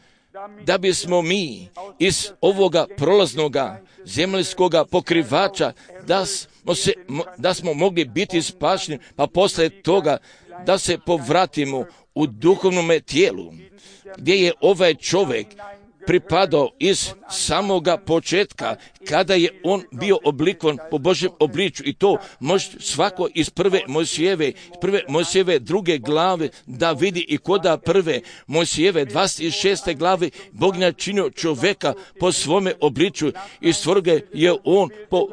da bismo mi iz ovoga prolaznoga zemaljskoga pokrivača da smo, se, da smo mogli biti spašeni, pa posle toga da se povratimo u duhovnome tijelu, gdje je ovaj čovjek pripadao iz samoga početka, kada je on bio oblikovan po Božjem obličju i to može svako iz prve Mojsijeve, prve Mojsijeve druge glave da vidi i koda prve Mojsijeve dvadeset šeste glave Bog je načinio čovjeka po svome obličju i stvorio je on po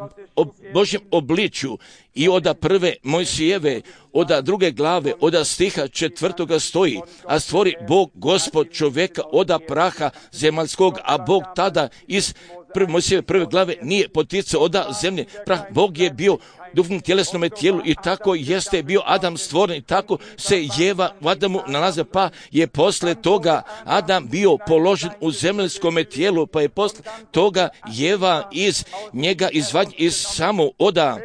Božjem obličju. I oda prve Mojsijeve, oda druge glave, oda stiha četvrtoga stoji, a stvori Bog Gospod čovjeka oda praha zemaljskog, a Bog tada iz prve Mojsijeve prve glave nije poticao od zemlje. Prah, Bog je bio duhovnom tjelesnome tijelu i tako jeste bio Adam stvoren i tako se Jeva u Adamu nalaze, pa je posle toga Adam bio položen u zemaljskome tijelu, pa je posle toga Jeva iz njega izvađen iz samo oda.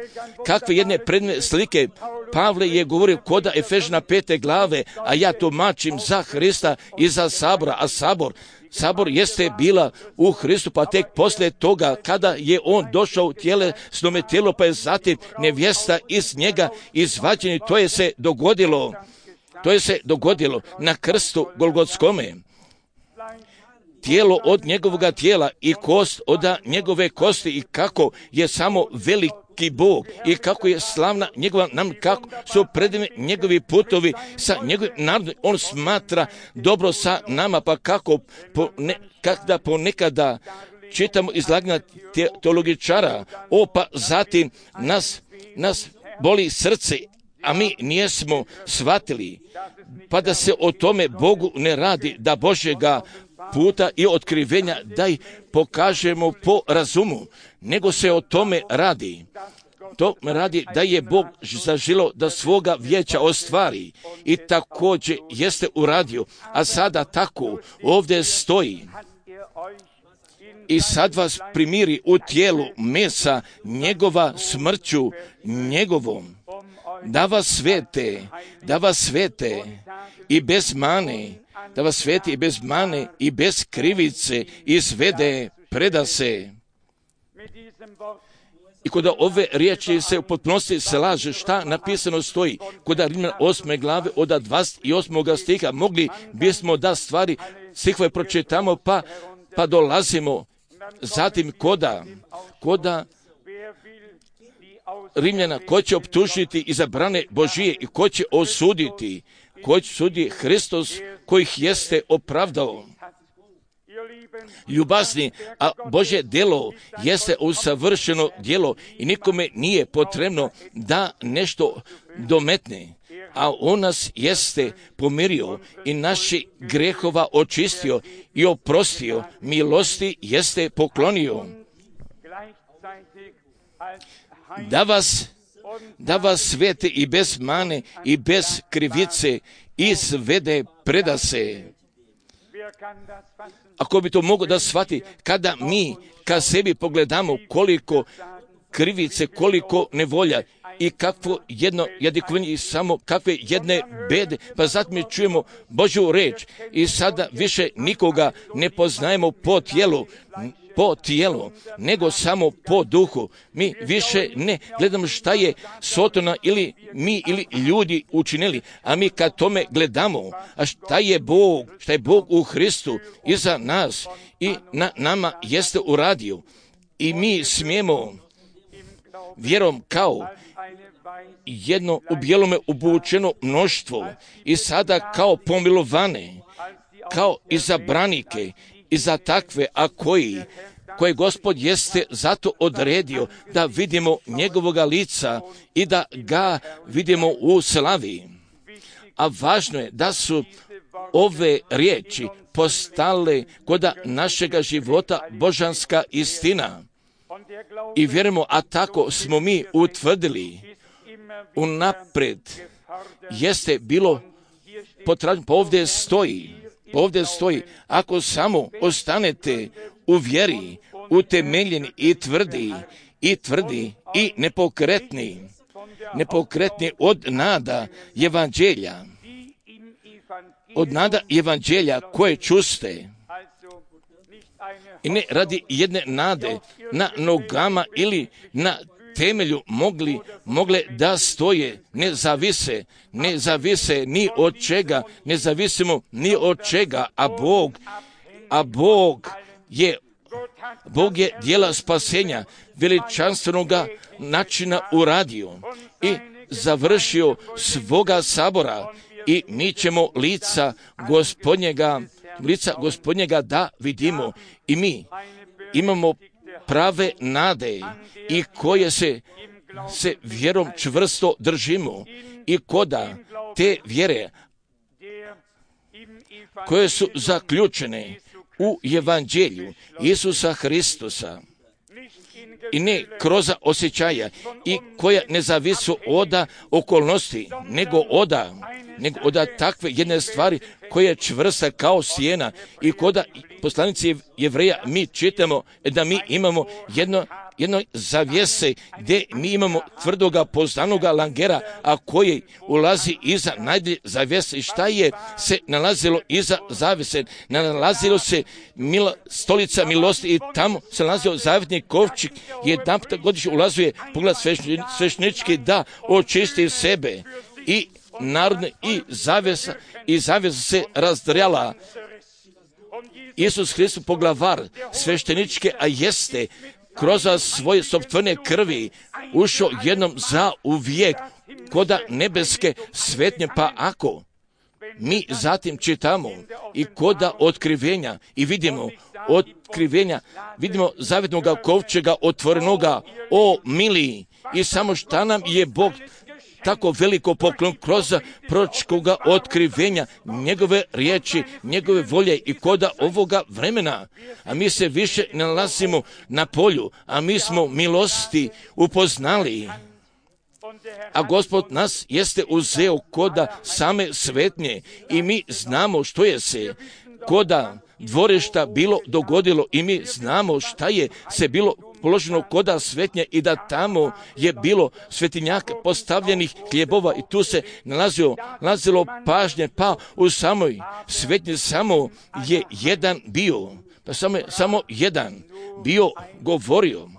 Kakve jedne predne slike Pavle je govorio koda Efežana pete glave, a ja tumačim za Hrista i za sabora, a sabor Sabor jeste bila u Hristu, pa tek poslije toga kada je on došao u tjelesnome tijelu, pa je zatim nevjesta iz njega izvađena i to je se dogodilo. To je se dogodilo na krstu Golgotskome. Tijelo od njegovoga tijela i kost od njegove kosti i kako je samo veliki Bog i kako je slavna njegova nam, kako su predivni njegovi putovi sa njegovim narodom. On smatra dobro sa nama, pa kako po ne, kada ponekada čitamo izlaganja te, teologičara, o pa zatim nas, nas boli srce, a mi nijesmo shvatili, pa da se o tome Bogu ne radi, da Božjega puta i otkrivenja da ih pokažemo po razumu, nego se o tome radi. To radi da je Bog zaželo da svoga vijeća ostvari i također jeste uradio, a sada tako ovdje stoji i sad vas primiri u tijelu mesa njegova smrću njegovom, da vas svete, da vas svete i bez mane, da vas sveti i bez mane i bez krivice izvede, preda se. I kod ove riječi se u potpunosti se laže šta napisano stoji. Kod Rimljana osme glave od dvadeset osmog stiha mogli bismo da stvari stihove pročitamo pa, pa dolazimo zatim koda, koda Rimljana, ko će optužiti izabrane Božije i ko će osuditi, ko će sudi Hristos kojih jeste opravdao. Ljubazni, a Božje djelo jeste usavršeno djelo i nikome nije potrebno da nešto dometne, a on nas jeste pomirio i naši grehova očistio i oprostio, milosti jeste poklonio. Da vas, da vas svete i bez mane i bez krivice izvede, preda se. Ako bi to moglo da shvati, kada mi ka sebi pogledamo koliko krivice, koliko nevolja i kakvo jedno jadikovanje i samo kakve jedne bede, pa zatim mi čujemo Božju reč i sada više nikoga ne poznajemo po tijelu, po tijelu, nego samo po duhu. Mi više ne gledamo šta je Sotona ili mi ili ljudi učinili, a mi kad tome gledamo, a šta je Bog, šta je Bog u Hristu iza nas i na nama jeste uradio. I mi smijemo vjerom kao jedno u bijelome obučeno mnoštvo i sada kao pomilovane, kao izabranike i za takve, a koji, koje Gospod jeste zato odredio da vidimo njegovoga lica i da ga vidimo u slavi. A važno je da su ove riječi postale koda našega života božanska istina. I vjerujemo, a tako smo mi utvrdili unapred, jeste bilo potražno, pa ovdje stoji, pa ovdje stoji, ako samo ostanete u vjeri, utemeljeni i tvrdi, i tvrdi, i nepokretni, nepokretni od nada evanđelja, od nada evanđelja koje čuste, i ne radi jedne nade na nogama ili na temelju mogli, mogle da stoje, ne zavise, ne zavise ni od čega, ne zavisimo ni od čega, a Bog, a Bog je, Bog je djela spasenja veličanstvenoga načina uradio i završio svoga sabora i mi ćemo lica Gospodnjega, lica Gospodnjega da vidimo i mi imamo prave nade i koje se, se vjerom čvrsto držimo i koda te vjere koje su zaključene u evanđelju Isusa Hristusa i ne kroz osjećaja i koja ne zavisu od okolnosti, nego od nego od takve jedne stvari koja je čvrsta kao sjena i koda poslanici Jevreja mi čitamo da mi imamo jedno jedno zavjese gdje mi imamo tvrdoga poznanoga langera, a koji ulazi iza najdje zavjese. I šta je se nalazilo iza zavjese? Nalazilo se mila, stolica milosti i tamo se nalazio zavjetni kovčik. Jedan puta godišnje ulazuje pogled sveštenički da očisti sebe i narodne i zavjesa i zavjesa se razdrjala. Isus Hristos poglavar svešteničke, a jeste kroz svoje sopstvene krvi ušao jednom za uvijek koda nebeske svetnje, pa ako mi zatim čitamo i koda otkrivenja i vidimo otkrivenja, vidimo zavjetnoga kovčega otvorenoga, o mili, i samo šta nam je Bog tako veliko poklon kroz proročkoga otkrivenja, njegove riječi, njegove volje i koda ovoga vremena. A mi se više ne nalazimo na polju, a mi smo milosti upoznali. A Gospod nas jeste uzeo koda same svetnje i mi znamo što je se koda dvorišta bilo dogodilo i mi znamo šta je se bilo položeno koda svetnje i da tamo je bilo svetinjaka postavljenih hljebova i tu se nalazilo, nalazilo pažnje, pa u samoj svetnji samo je jedan bio, pa samo, samo jedan bio govorio.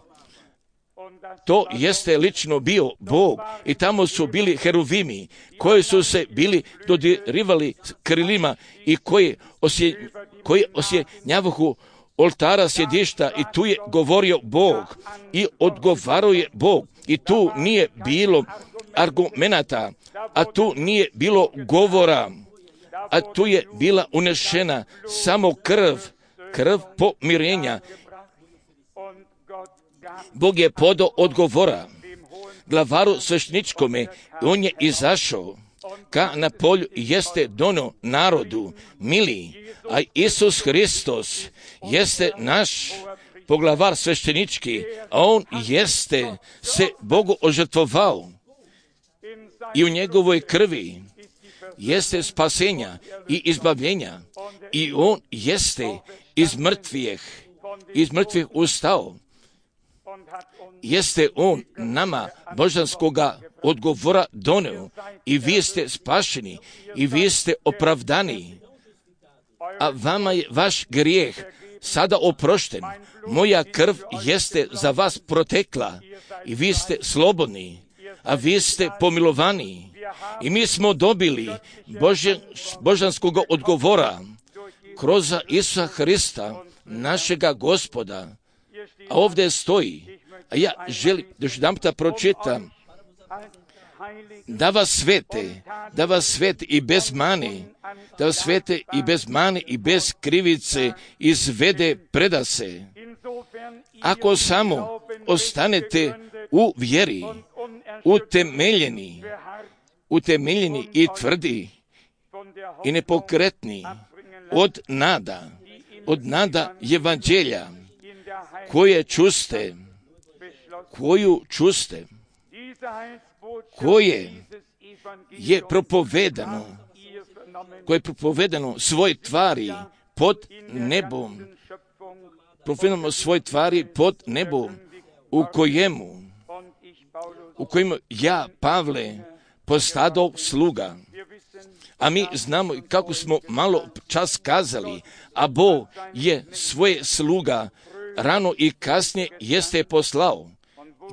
To jeste lično bio Bog i tamo su bili heruvimi koji su se bili dodirivali krilima i koji osje, koji osjenjavahu oltara sjedišta i tu je govorio Bog i odgovarao je Bog i tu nije bilo argumenata, a tu nije bilo govora, a tu je bila unešena samo krv, krv pomirenja. Bog je podao odgovora glavaru svešteničkome, on je izašao ka na polju jeste dono narodu mili, a Isus Hristos jeste naš poglavar sveštenički, a on jeste se Bogu ožrtvovao i u njegovoj krvi jeste spasenja i izbavljenja i on jeste iz mrtvih, iz mrtvih ustao. Jeste on nama božanskoga odgovora doneo i vi ste spašeni i vi ste opravdani, a vama je vaš grijeh sada oprošten. Moja krv jeste za vas protekla i vi ste slobodni, a vi ste pomilovani i mi smo dobili Bože, božanskog odgovora kroz Isusa Hrista, našega Gospoda. A ovdje stoji, a ja želim da još jedan puta pročitam, da vas svete, da vas svete i bez mane, da vas svete i bez mane i bez krivice izvede predase. Ako samo ostanete u vjeri, utemeljeni, utemeljeni i tvrdi i nepokretni od nada, od nada evanđelja, koje čuste, koju čuste, koje je propovedano, koje je propovedano svoj tvari pod nebom, propovedano svoj tvari pod nebom, u kojemu, u kojemu ja, Pavle, postadao sluga. A mi znamo kako smo malo čas kazali, a Bog je svoje sluga rano i kasnije jeste poslao,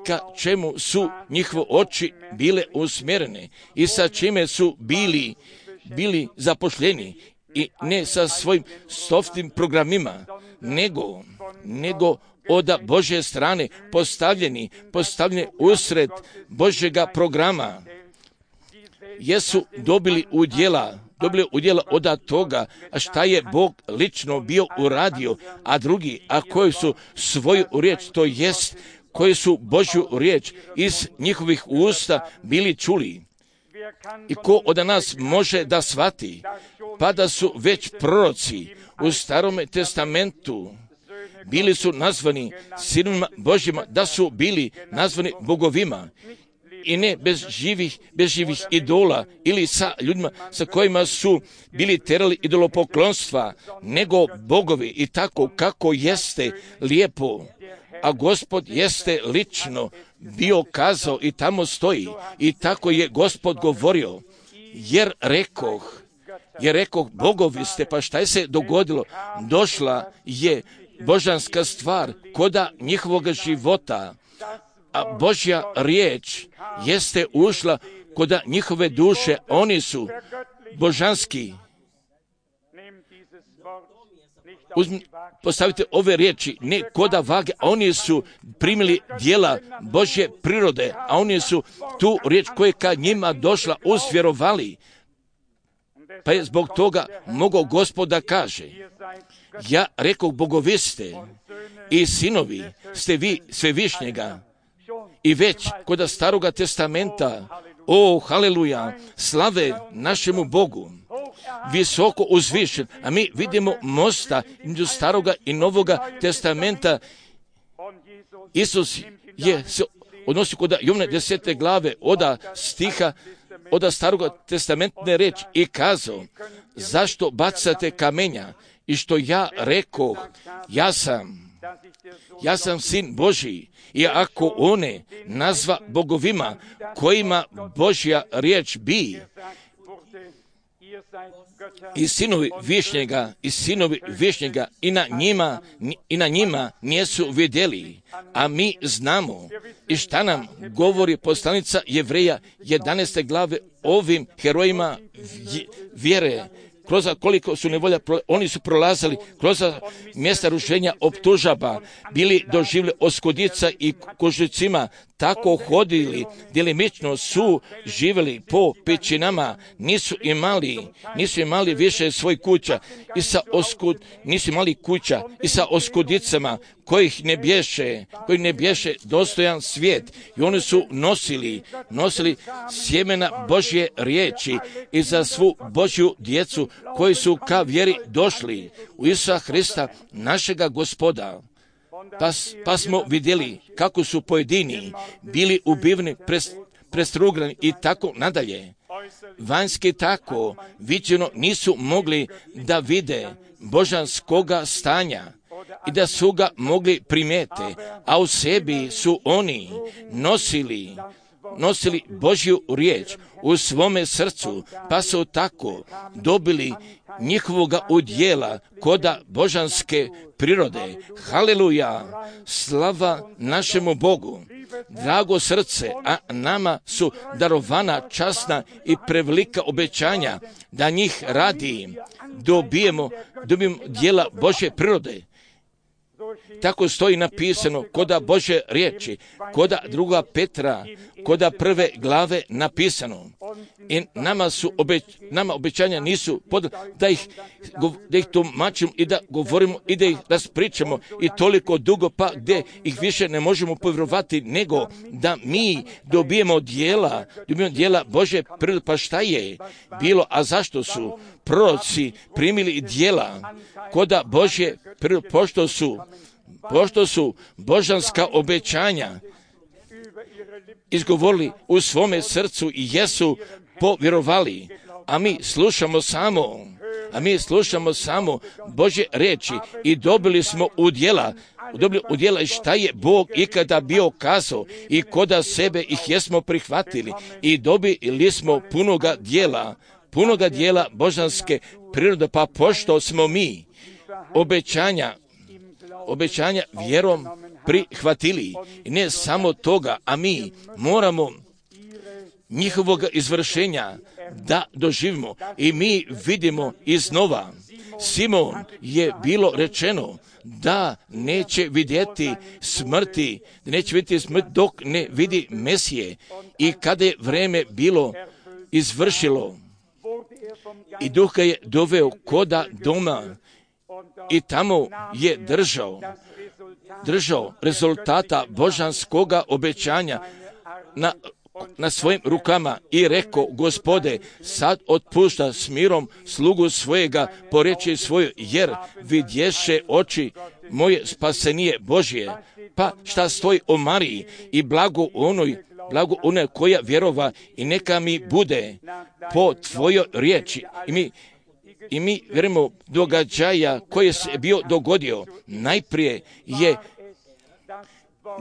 ka čemu su njihove oči bile usmjerene i sa čime su bili, bili zapošljeni i ne sa svojim softnim programima, nego, nego od Božje strane postavljeni, postavljeni usred Božjega programa. Jesu dobili udjela, dobili udjela od toga, a šta je Bog lično bio uradio, a drugi, a koji su svoju riječ, to jest, koji su Božju riječ iz njihovih usta bili čuli. I ko od nas može da shvati, pa da su već proroci u Starome testamentu bili su nazvani sinovima Božjima, da su bili nazvani bogovima i ne bez živih, bez živih idola ili sa ljudima sa kojima su bili terali idolopoklonstva, nego bogovi i tako kako jeste lijepo. A Gospod jeste lično bio kazao i tamo stoji i tako je Gospod govorio, jer rekoh, jer rekoh bogovi ste, pa šta je se dogodilo? Došla je božanska stvar koda njihovoga života, a Božja riječ jeste ušla koda njihove duše, oni su božanski. Uzmi, postavite ove riječi, ne koda vage, a oni su primili dijela Božje prirode, a oni su tu riječ koja je kad njima došla usvjerovali. Pa je zbog toga mogao Gospod da kaže, ja rekoh bogovi ste i sinovi ste vi svevišnjega. I već koda Staroga testamenta, o haleluja, slave našemu Bogu, visoko uzvišen, a mi vidimo mosta između Staroga i Novoga testamenta. Isus je se odnosi kod Jovne desete glave oda stiha, oda Staroga testamentne reči i kazao, zašto bacate kamenja? I što ja rekoh, ja sam, ja sam sin Božji, i ako one nazva bogovima kojima Božja riječ bi, i sinovi višnjega, i sinovi višnjega, i na njima, i na njima nijesu vidjeli, a mi znamo i šta nam govori poslanica Jevreja jedanaeste glave ovim herojima vjere, kroz koliko su nevolja, oni su prolazili kroz mjesta rušenja optužaba, bili doživjeli oskudica i kožicima, tako hodili, djelimično su živjeli po pećinama, nisu imali, nisu imali više svoj kuća i sa oskud, nisu imali kuća i sa oskudicama kojih ne bješe, koji ne bješe dostojan svijet. I oni su nosili, nosili sjemena Božje riječi i za svu Božju djecu koji su ka vjeri došli u Isusa Hrista, našega Gospoda. Pa, pa smo vidjeli kako su pojedini bili ubivni, pres, prestrugrani i tako nadalje. Vanjski tako viđeno nisu mogli da vide božanskoga stanja i da su ga mogli primijete, a u sebi su oni nosili, nosili Božju riječ u svome srcu, pa su tako dobili njihovoga udjela koda božanske prirode. Haleluja, slava našemu Bogu. Drago srce, a nama su darovana časna i prevelika obećanja da njih radi dobijemo, dobijemo dijela Božje prirode. Tako stoji napisano koda Božje riječi, koda druga Petra, koda prve glave napisano. I nama su obeć, nama obećanja nisu pod, da ih, da ih tumačimo i da govorimo i da ih raspričamo i toliko dugo pa gdje ih više ne možemo povjerovati nego da mi dobijemo dijela, dobijemo dijela Božje prirode. Pa šta je bilo, a zašto su proroci primili dijela koda Božje prirode, pošto su pošto su božanska obećanja izgovorili u svome srcu i jesu povjerovali, a mi slušamo samo, a mi slušamo samo Božje riječi i dobili smo udjela, dobili udjela i šta je Bog ikada bio kazao i koda sebe ih jesmo prihvatili i dobili smo punoga dijela, punoga dijela božanske prirode, pa pošto smo mi obećanja obećanja vjerom prihvatili. I ne samo toga, a mi moramo njihovog izvršenja da doživimo. I mi vidimo iznova, Simon je bilo rečeno da neće vidjeti smrti, da neće vidjeti smrt dok ne vidi Mesije. I kada je vreme bilo izvršilo i Duh ga je doveo koda doma, i tamo je držao, držao rezultata božanskoga obećanja na na svojim rukama i rekao, Gospode, sad otpušta s mirom slugu svojega po reči svoju, jer vidješe oči moje spasenije Božje. Pa šta stoji o Mariji i blago onoj, blago onoj koja vjerova, i neka mi bude po tvojoj riječi. I mi I mi vjerujemo događaja koje se bio dogodio. Najprije je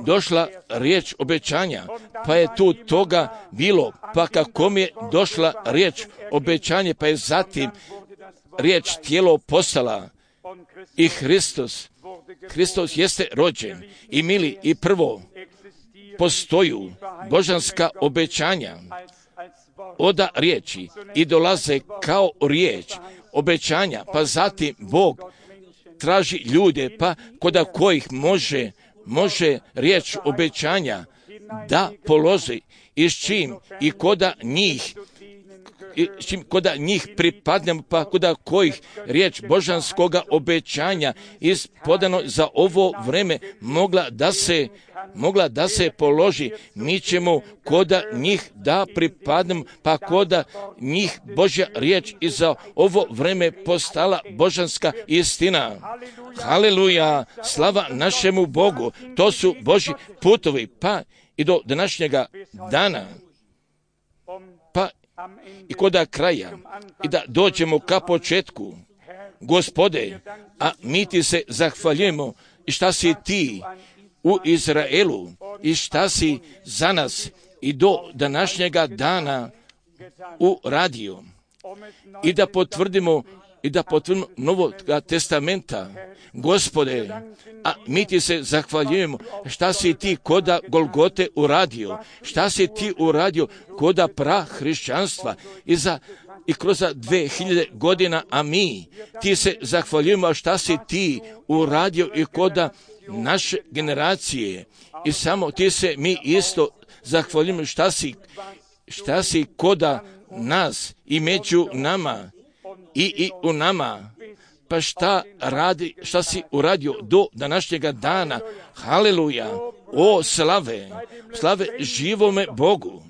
došla riječ obećanja, pa je tu toga bilo, pa kako mi je došla riječ obećanje, pa je zatim riječ tijelo postala i Hristos. Hristos jeste rođen i mili, i prvo postoju božanska obećanja oda riječi i dolaze kao riječ obećanja, pa zatim Bog traži ljude, pa koda kojih može, može riječ obećanja da položi, i s čim i koda njih i s čim koda njih pripadnemo, pa koda kojih riječ božanskoga obećanja ispodano za ovo vreme mogla da se mogla da se položi, mi ćemo koda njih da pripadnemo, pa koda njih Božja riječ i za ovo vreme postala božanska istina. Haleluja, slava našemu Bogu, to su Božji putovi, pa i do današnjega dana, pa i koda kraja, i da dođemo ka početku. Gospode, a mi ti se zahvaljujemo, i šta si ti u Izraelu, i šta si za nas i do današnjega dana uradio, i da potvrdimo i da potvrdimo Novog testamenta. Gospode, a mi ti se zahvaljujemo šta si ti koda Golgote uradio, šta si ti uradio koda prahrišćanstva i za i kroz dve hiljade godina, a mi ti se zahvaljujemo šta si ti uradio i koda naše generacije, i samo ti se mi isto zahvaljujemo šta si, šta si koda nas i među nama i, i u nama, pa šta radi, šta si uradio do današnjega dana. Haleluja, o slave, slave živome Bogu.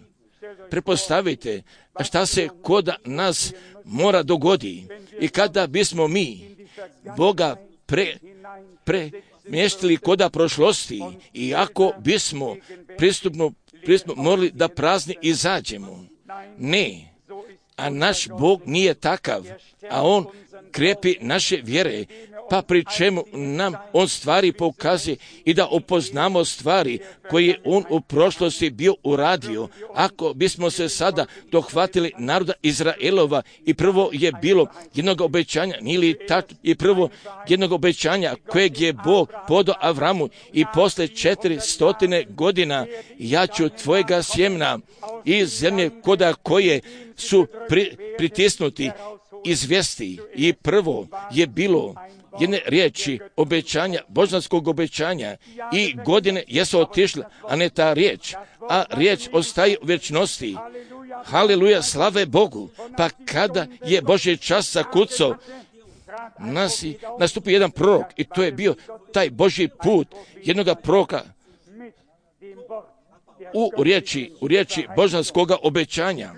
Prepostavite šta se koda nas mora dogodi, i kada bismo mi Boga pre, pre mještili koda prošlosti, i ako bismo pristupno, pristupno morali da prazni izađemo. Ne, a naš Bog nije takav, a On krepi naše vjere, pa pri čemu nam On stvari pokazuje i da upoznamo stvari koje On u prošlosti bio uradio. Ako bismo se sada dohvatili naroda Izraelova, i prvo je bilo jednog obećanja, ili tak, i prvo jednog obećanja kojeg je Bog podao Avramu, i posle četiri stotine godina ja ću tvojega sjemna iz zemlje koda koje su pri, pritisnuti izvesti. I prvo je bilo jedne riječi obećanja, božanskog obećanja, i godine jesu otišle, a ne ta riječ, a riječ ostaje u vječnosti. Haleluja, slave Bogu. Pa kada je Božji čas zakucao, nasi, nastupi jedan prorok, i to je bio taj Božji put jednoga proroka u riječi, u riječi božanskoga obećanja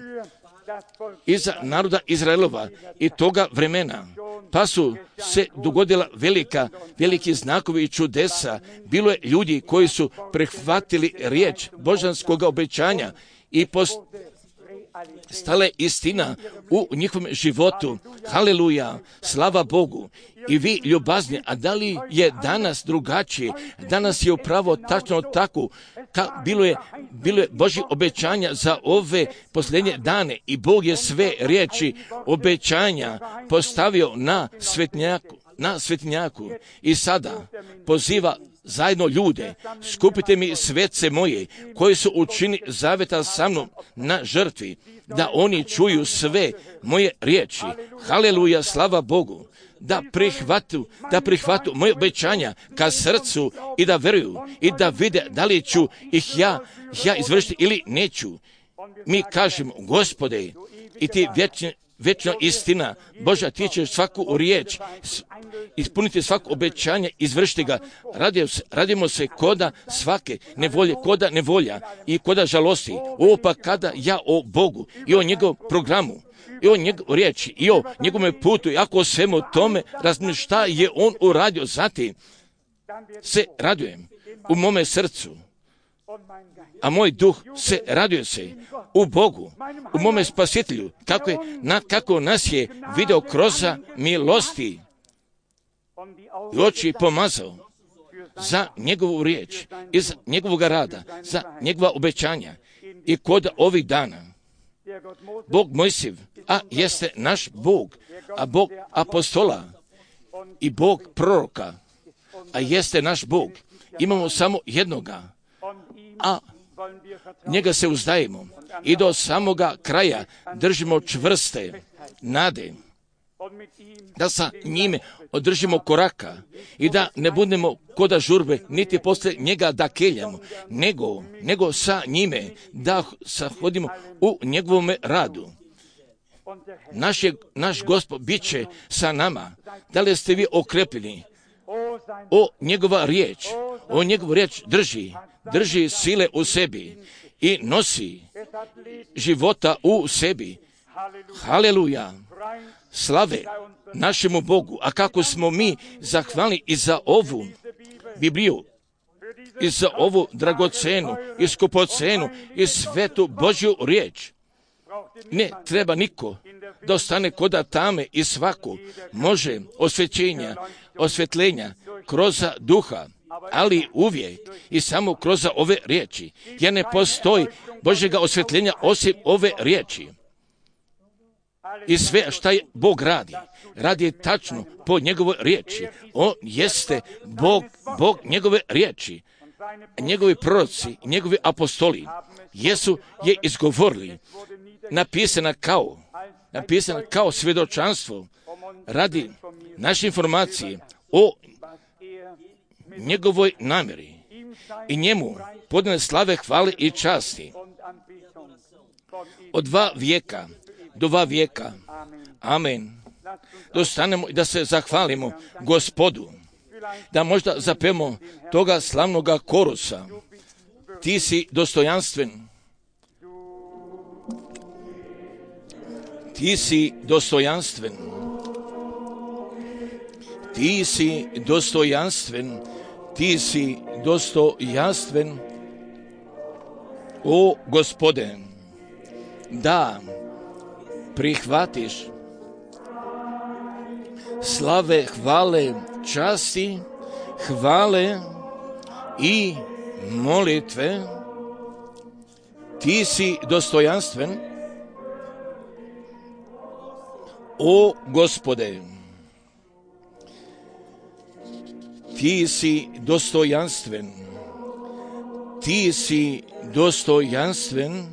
iza naroda Izraelova i toga vremena. Pa su se dogodila velika, veliki znakovi i čudesa. Bilo je ljudi koji su prihvatili riječ božanskoga obećanja i postale istina u njihovom životu. Haleluja, slava Bogu. I vi ljubazni, a da li je danas drugačije? Danas je upravo tačno tako. Ka, bilo je, bilo je Božje obećanja za ove posljednje dane, i Bog je sve riječi obećanja postavio na svetnjaku, na svetnjaku. I sada poziva zajedno ljude, skupite mi svece moje koji su učinili zaveta sa mnom na žrtvi, da oni čuju sve moje riječi. Haleluja, slava Bogu. Da prihvatu, da prihvatu moje obećanja ka srcu i da veruju i da vide da li ću ih ja, ja izvršiti ili neću. Mi kažemo, Gospode, i ti vječni, večna istina. Božja, ti ćeš svaku riječ ispuniti, svako obećanje, izvršiti ga. Radimo se, radimo se koda svake nevolje, koda nevolja i koda žalosti. Ovo pa kada ja o Bogu i o njegovom programu, i o njegovoj riječi, i o njegovom putu, i ako o svemu tome razmišljam šta je on uradio, zatim se radujem u mome srcu, a moj duh se raduje se u Bogu, u mome spasitelju, kako, je, na, kako nas je video kroz milosti i oči pomazao za njegovu riječ, iz njegovog rada, za njegova obećanja. I kod ovih dana Bog Mojsiv, a jeste naš Bog, a Bog apostola i Bog proroka, a jeste naš Bog. Imamo samo jednoga, a njega se uzdajemo i do samoga kraja držimo čvrste nade, da sa njime održimo koraka i da ne budemo koda žurbe, niti posle njega da keljamo, nego, nego sa njime da sahodimo u njegovome radu. Naš, je, naš Gospod bit će sa nama. Da li ste vi okrepljeni? O njegova riječ, o njegovu riječ drži, drži sile u sebi i nosi života u sebi. Haleluja! Slave našemu Bogu. A kako smo mi zahvalni i za ovu Bibliju, i za ovu dragocenu, i skupocenu, i svetu Božju riječ. Ne treba niko da ostane koda tame i svako može osvećenja, osvetljenja kroz duha, ali uvijek i samo kroz ove riječi. Jer ne postoji Božjega osvetljenja osim ove riječi. I sve šta je Bog radi, radi tačno po njegovoj riječi. On jeste Bog, Bog njegove riječi. Njegovi proroci, njegovi apostoli jesu je izgovorili, napisana kao, napisana kao svjedočanstvo radi naše informacije o njegovoj namjeri i njemu podane slave, hvale i časti. Od dva vijeka do dva vijeka. Amen. Dostanemo i da se zahvalimo Gospodu, da možda zapemo toga slavnoga korusa. Ti si dostojanstven. Ti si dostojanstven. Ti si dostojanstven. Ti si dostojanstven. O Gospode, da prihvatiš slave, hvale, časti, hvale i molitve. Ti si dostojanstven, o Gospode. Ti si dostojanstven, ti si dostojanstven,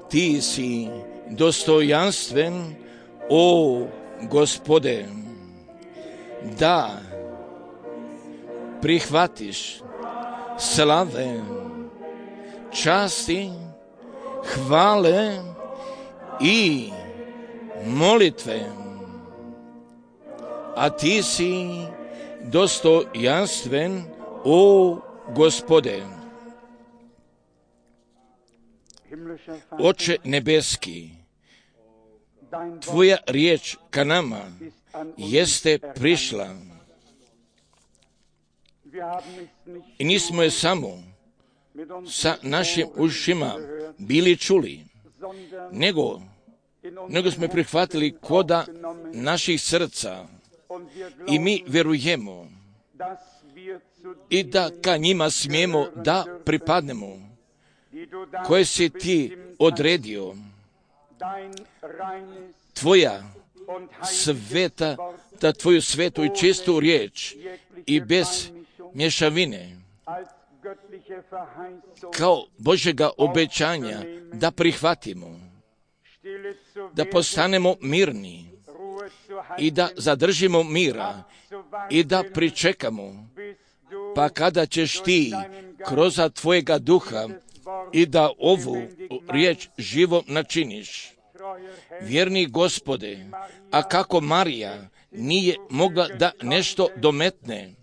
ti si dostojanstven, o Gospode, da prihvatiš slave, časti, hvale i molitve, a ti si dostojanstven, o Gospode. Oče nebeski, tvoja riječ ka nama jeste prišla i nismo je samo sa našim ušima bili čuli, nego, nego smo je prihvatili koda naših srca i mi vjerujemo i da ka njima smijemo da pripadnemo, koje si ti odredio, tvoja sveta, da tvoju svetu i čistu riječ i bez mješavine, kao Božjega obećanja da prihvatimo, da postanemo mirni i da zadržimo mira i da pričekamo, pa kada ćeš ti kroz tvojega duha i da ovu riječ živom načiniš. vjerni Gospode, a kako Marija nije mogla da nešto dometne.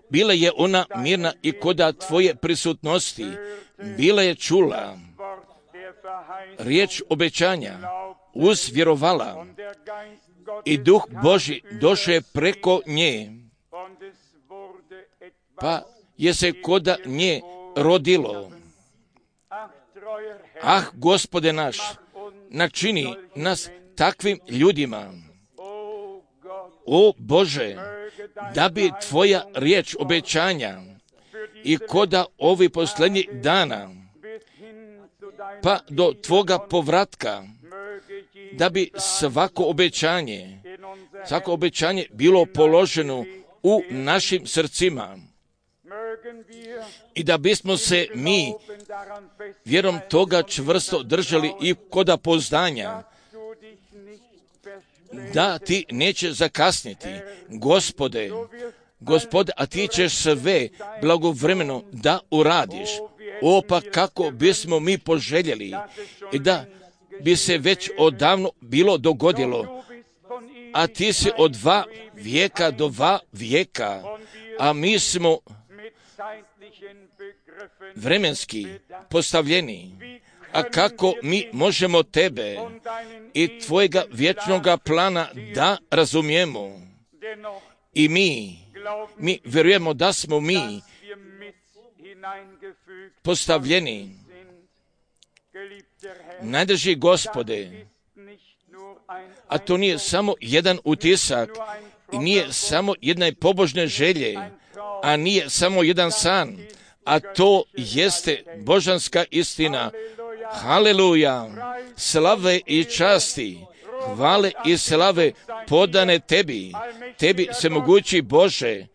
Bila je ona mirna i koda tvoje prisutnosti, bila je čula riječ obećanja, uzvjerovala i Duh Božji došao je preko nje, pa je se koda nje rodilo. Ah, Gospode naš, načini nas takvim ljudima. O Bože, da bi tvoja riječ obećanja i koda ovih posljednjih dana, pa do tvoga povratka, da bi svako obećanje, svako obećanje bilo položeno u našim srcima i da bismo se mi vjerom toga čvrsto držali i koda poznanja, da ti neće zakasniti, Gospode, Gospode, a ti ćeš sve blagovremeno da uradiš. O, pa kako bismo mi poželjeli i da bi se već odavno bilo dogodilo, a ti si od dva vijeka do dva vijeka, a mi smo vremenski postavljeni. A kako mi možemo tebe i tvojega vječnoga plana da razumijemo? I mi, mi vjerujemo da smo mi postavljeni. Najdrži Gospode, a to nije samo jedan utisak, i nije samo jedne pobožne želje, a nije samo jedan san, a to jeste božanska istina. Haleluja, slave i časti, hvale i slave podane tebi, tebi svemogući Bože,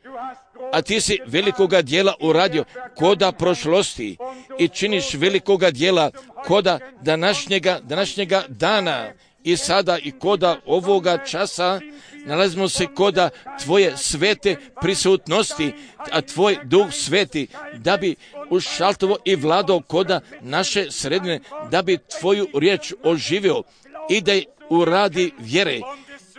a ti si velikoga djela uradio koda prošlosti i činiš velikoga djela koda današnjega, današnjega dana i sada i koda ovoga časa. Nalazimo se koda tvoje svete prisutnosti, a tvoj Duh sveti da bi ušaltovo i vladao koda naše sredine, da bi tvoju riječ oživio i da je uradi vjere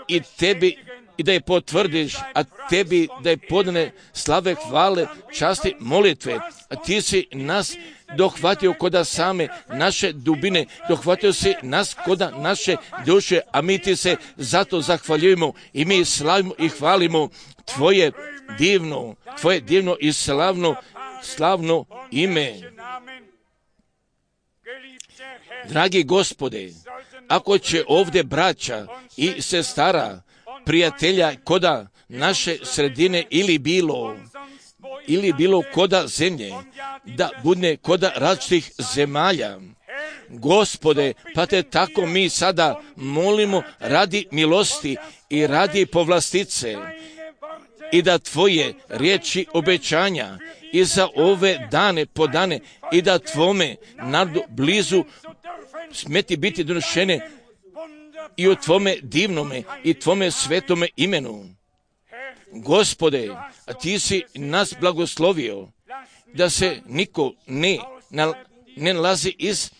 i tebi i da je potvrdiš, a tebi da je podane slave, hvale, časti, molitve. A ti si nas dohvatio koda same naše dubine, dohvatio si nas koda naše duše, a mi ti se zato zahvaljujemo i mi slavimo i hvalimo tvoje divno, tvoje divno i slavno, slavno ime. Dragi Gospode, ako će ovdje braća i sestara, prijatelja koda naše sredine ili bilo, ili bilo koda zemlje, da bude koda različitih zemalja. Gospode, pa te tako mi sada molimo radi milosti i radi povlastice i da tvoje riječi obećanja i za ove dane podane i da tvome narodu blizu smeti biti donošene i u tvome divnome i tvome svetome imenu. Gospode, a ti si nas blagoslovio da se niko ne, ne nalazi iz,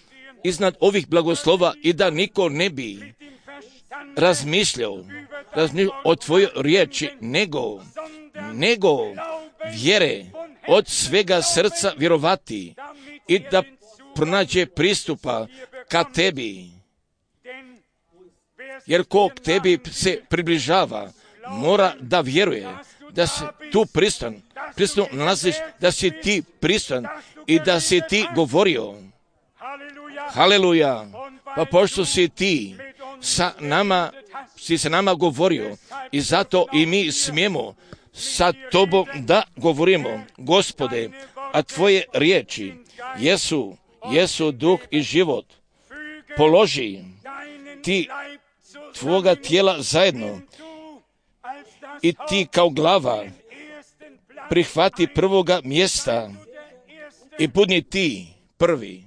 iznad ovih blagoslova i da niko ne bi razmišljao, razmišljao o tvojoj riječi, nego, nego vjere od svega srca vjerovati i da pronađe pristupa ka tebi. Jer ko k tebi se približava, mora da vjeruje da si tu pristan, pristan nalaziš, da si ti pristan i da si ti govorio. Haleluja, pa pošto si ti sa nama, si sa nama govorio i zato i mi smijemo sa tobom da govorimo. Gospode, a tvoje riječi jesu, jesu duh i život. Položi ti tvoga tijela zajedno i ti kao glava prihvati prvoga mjesta i budni ti prvi.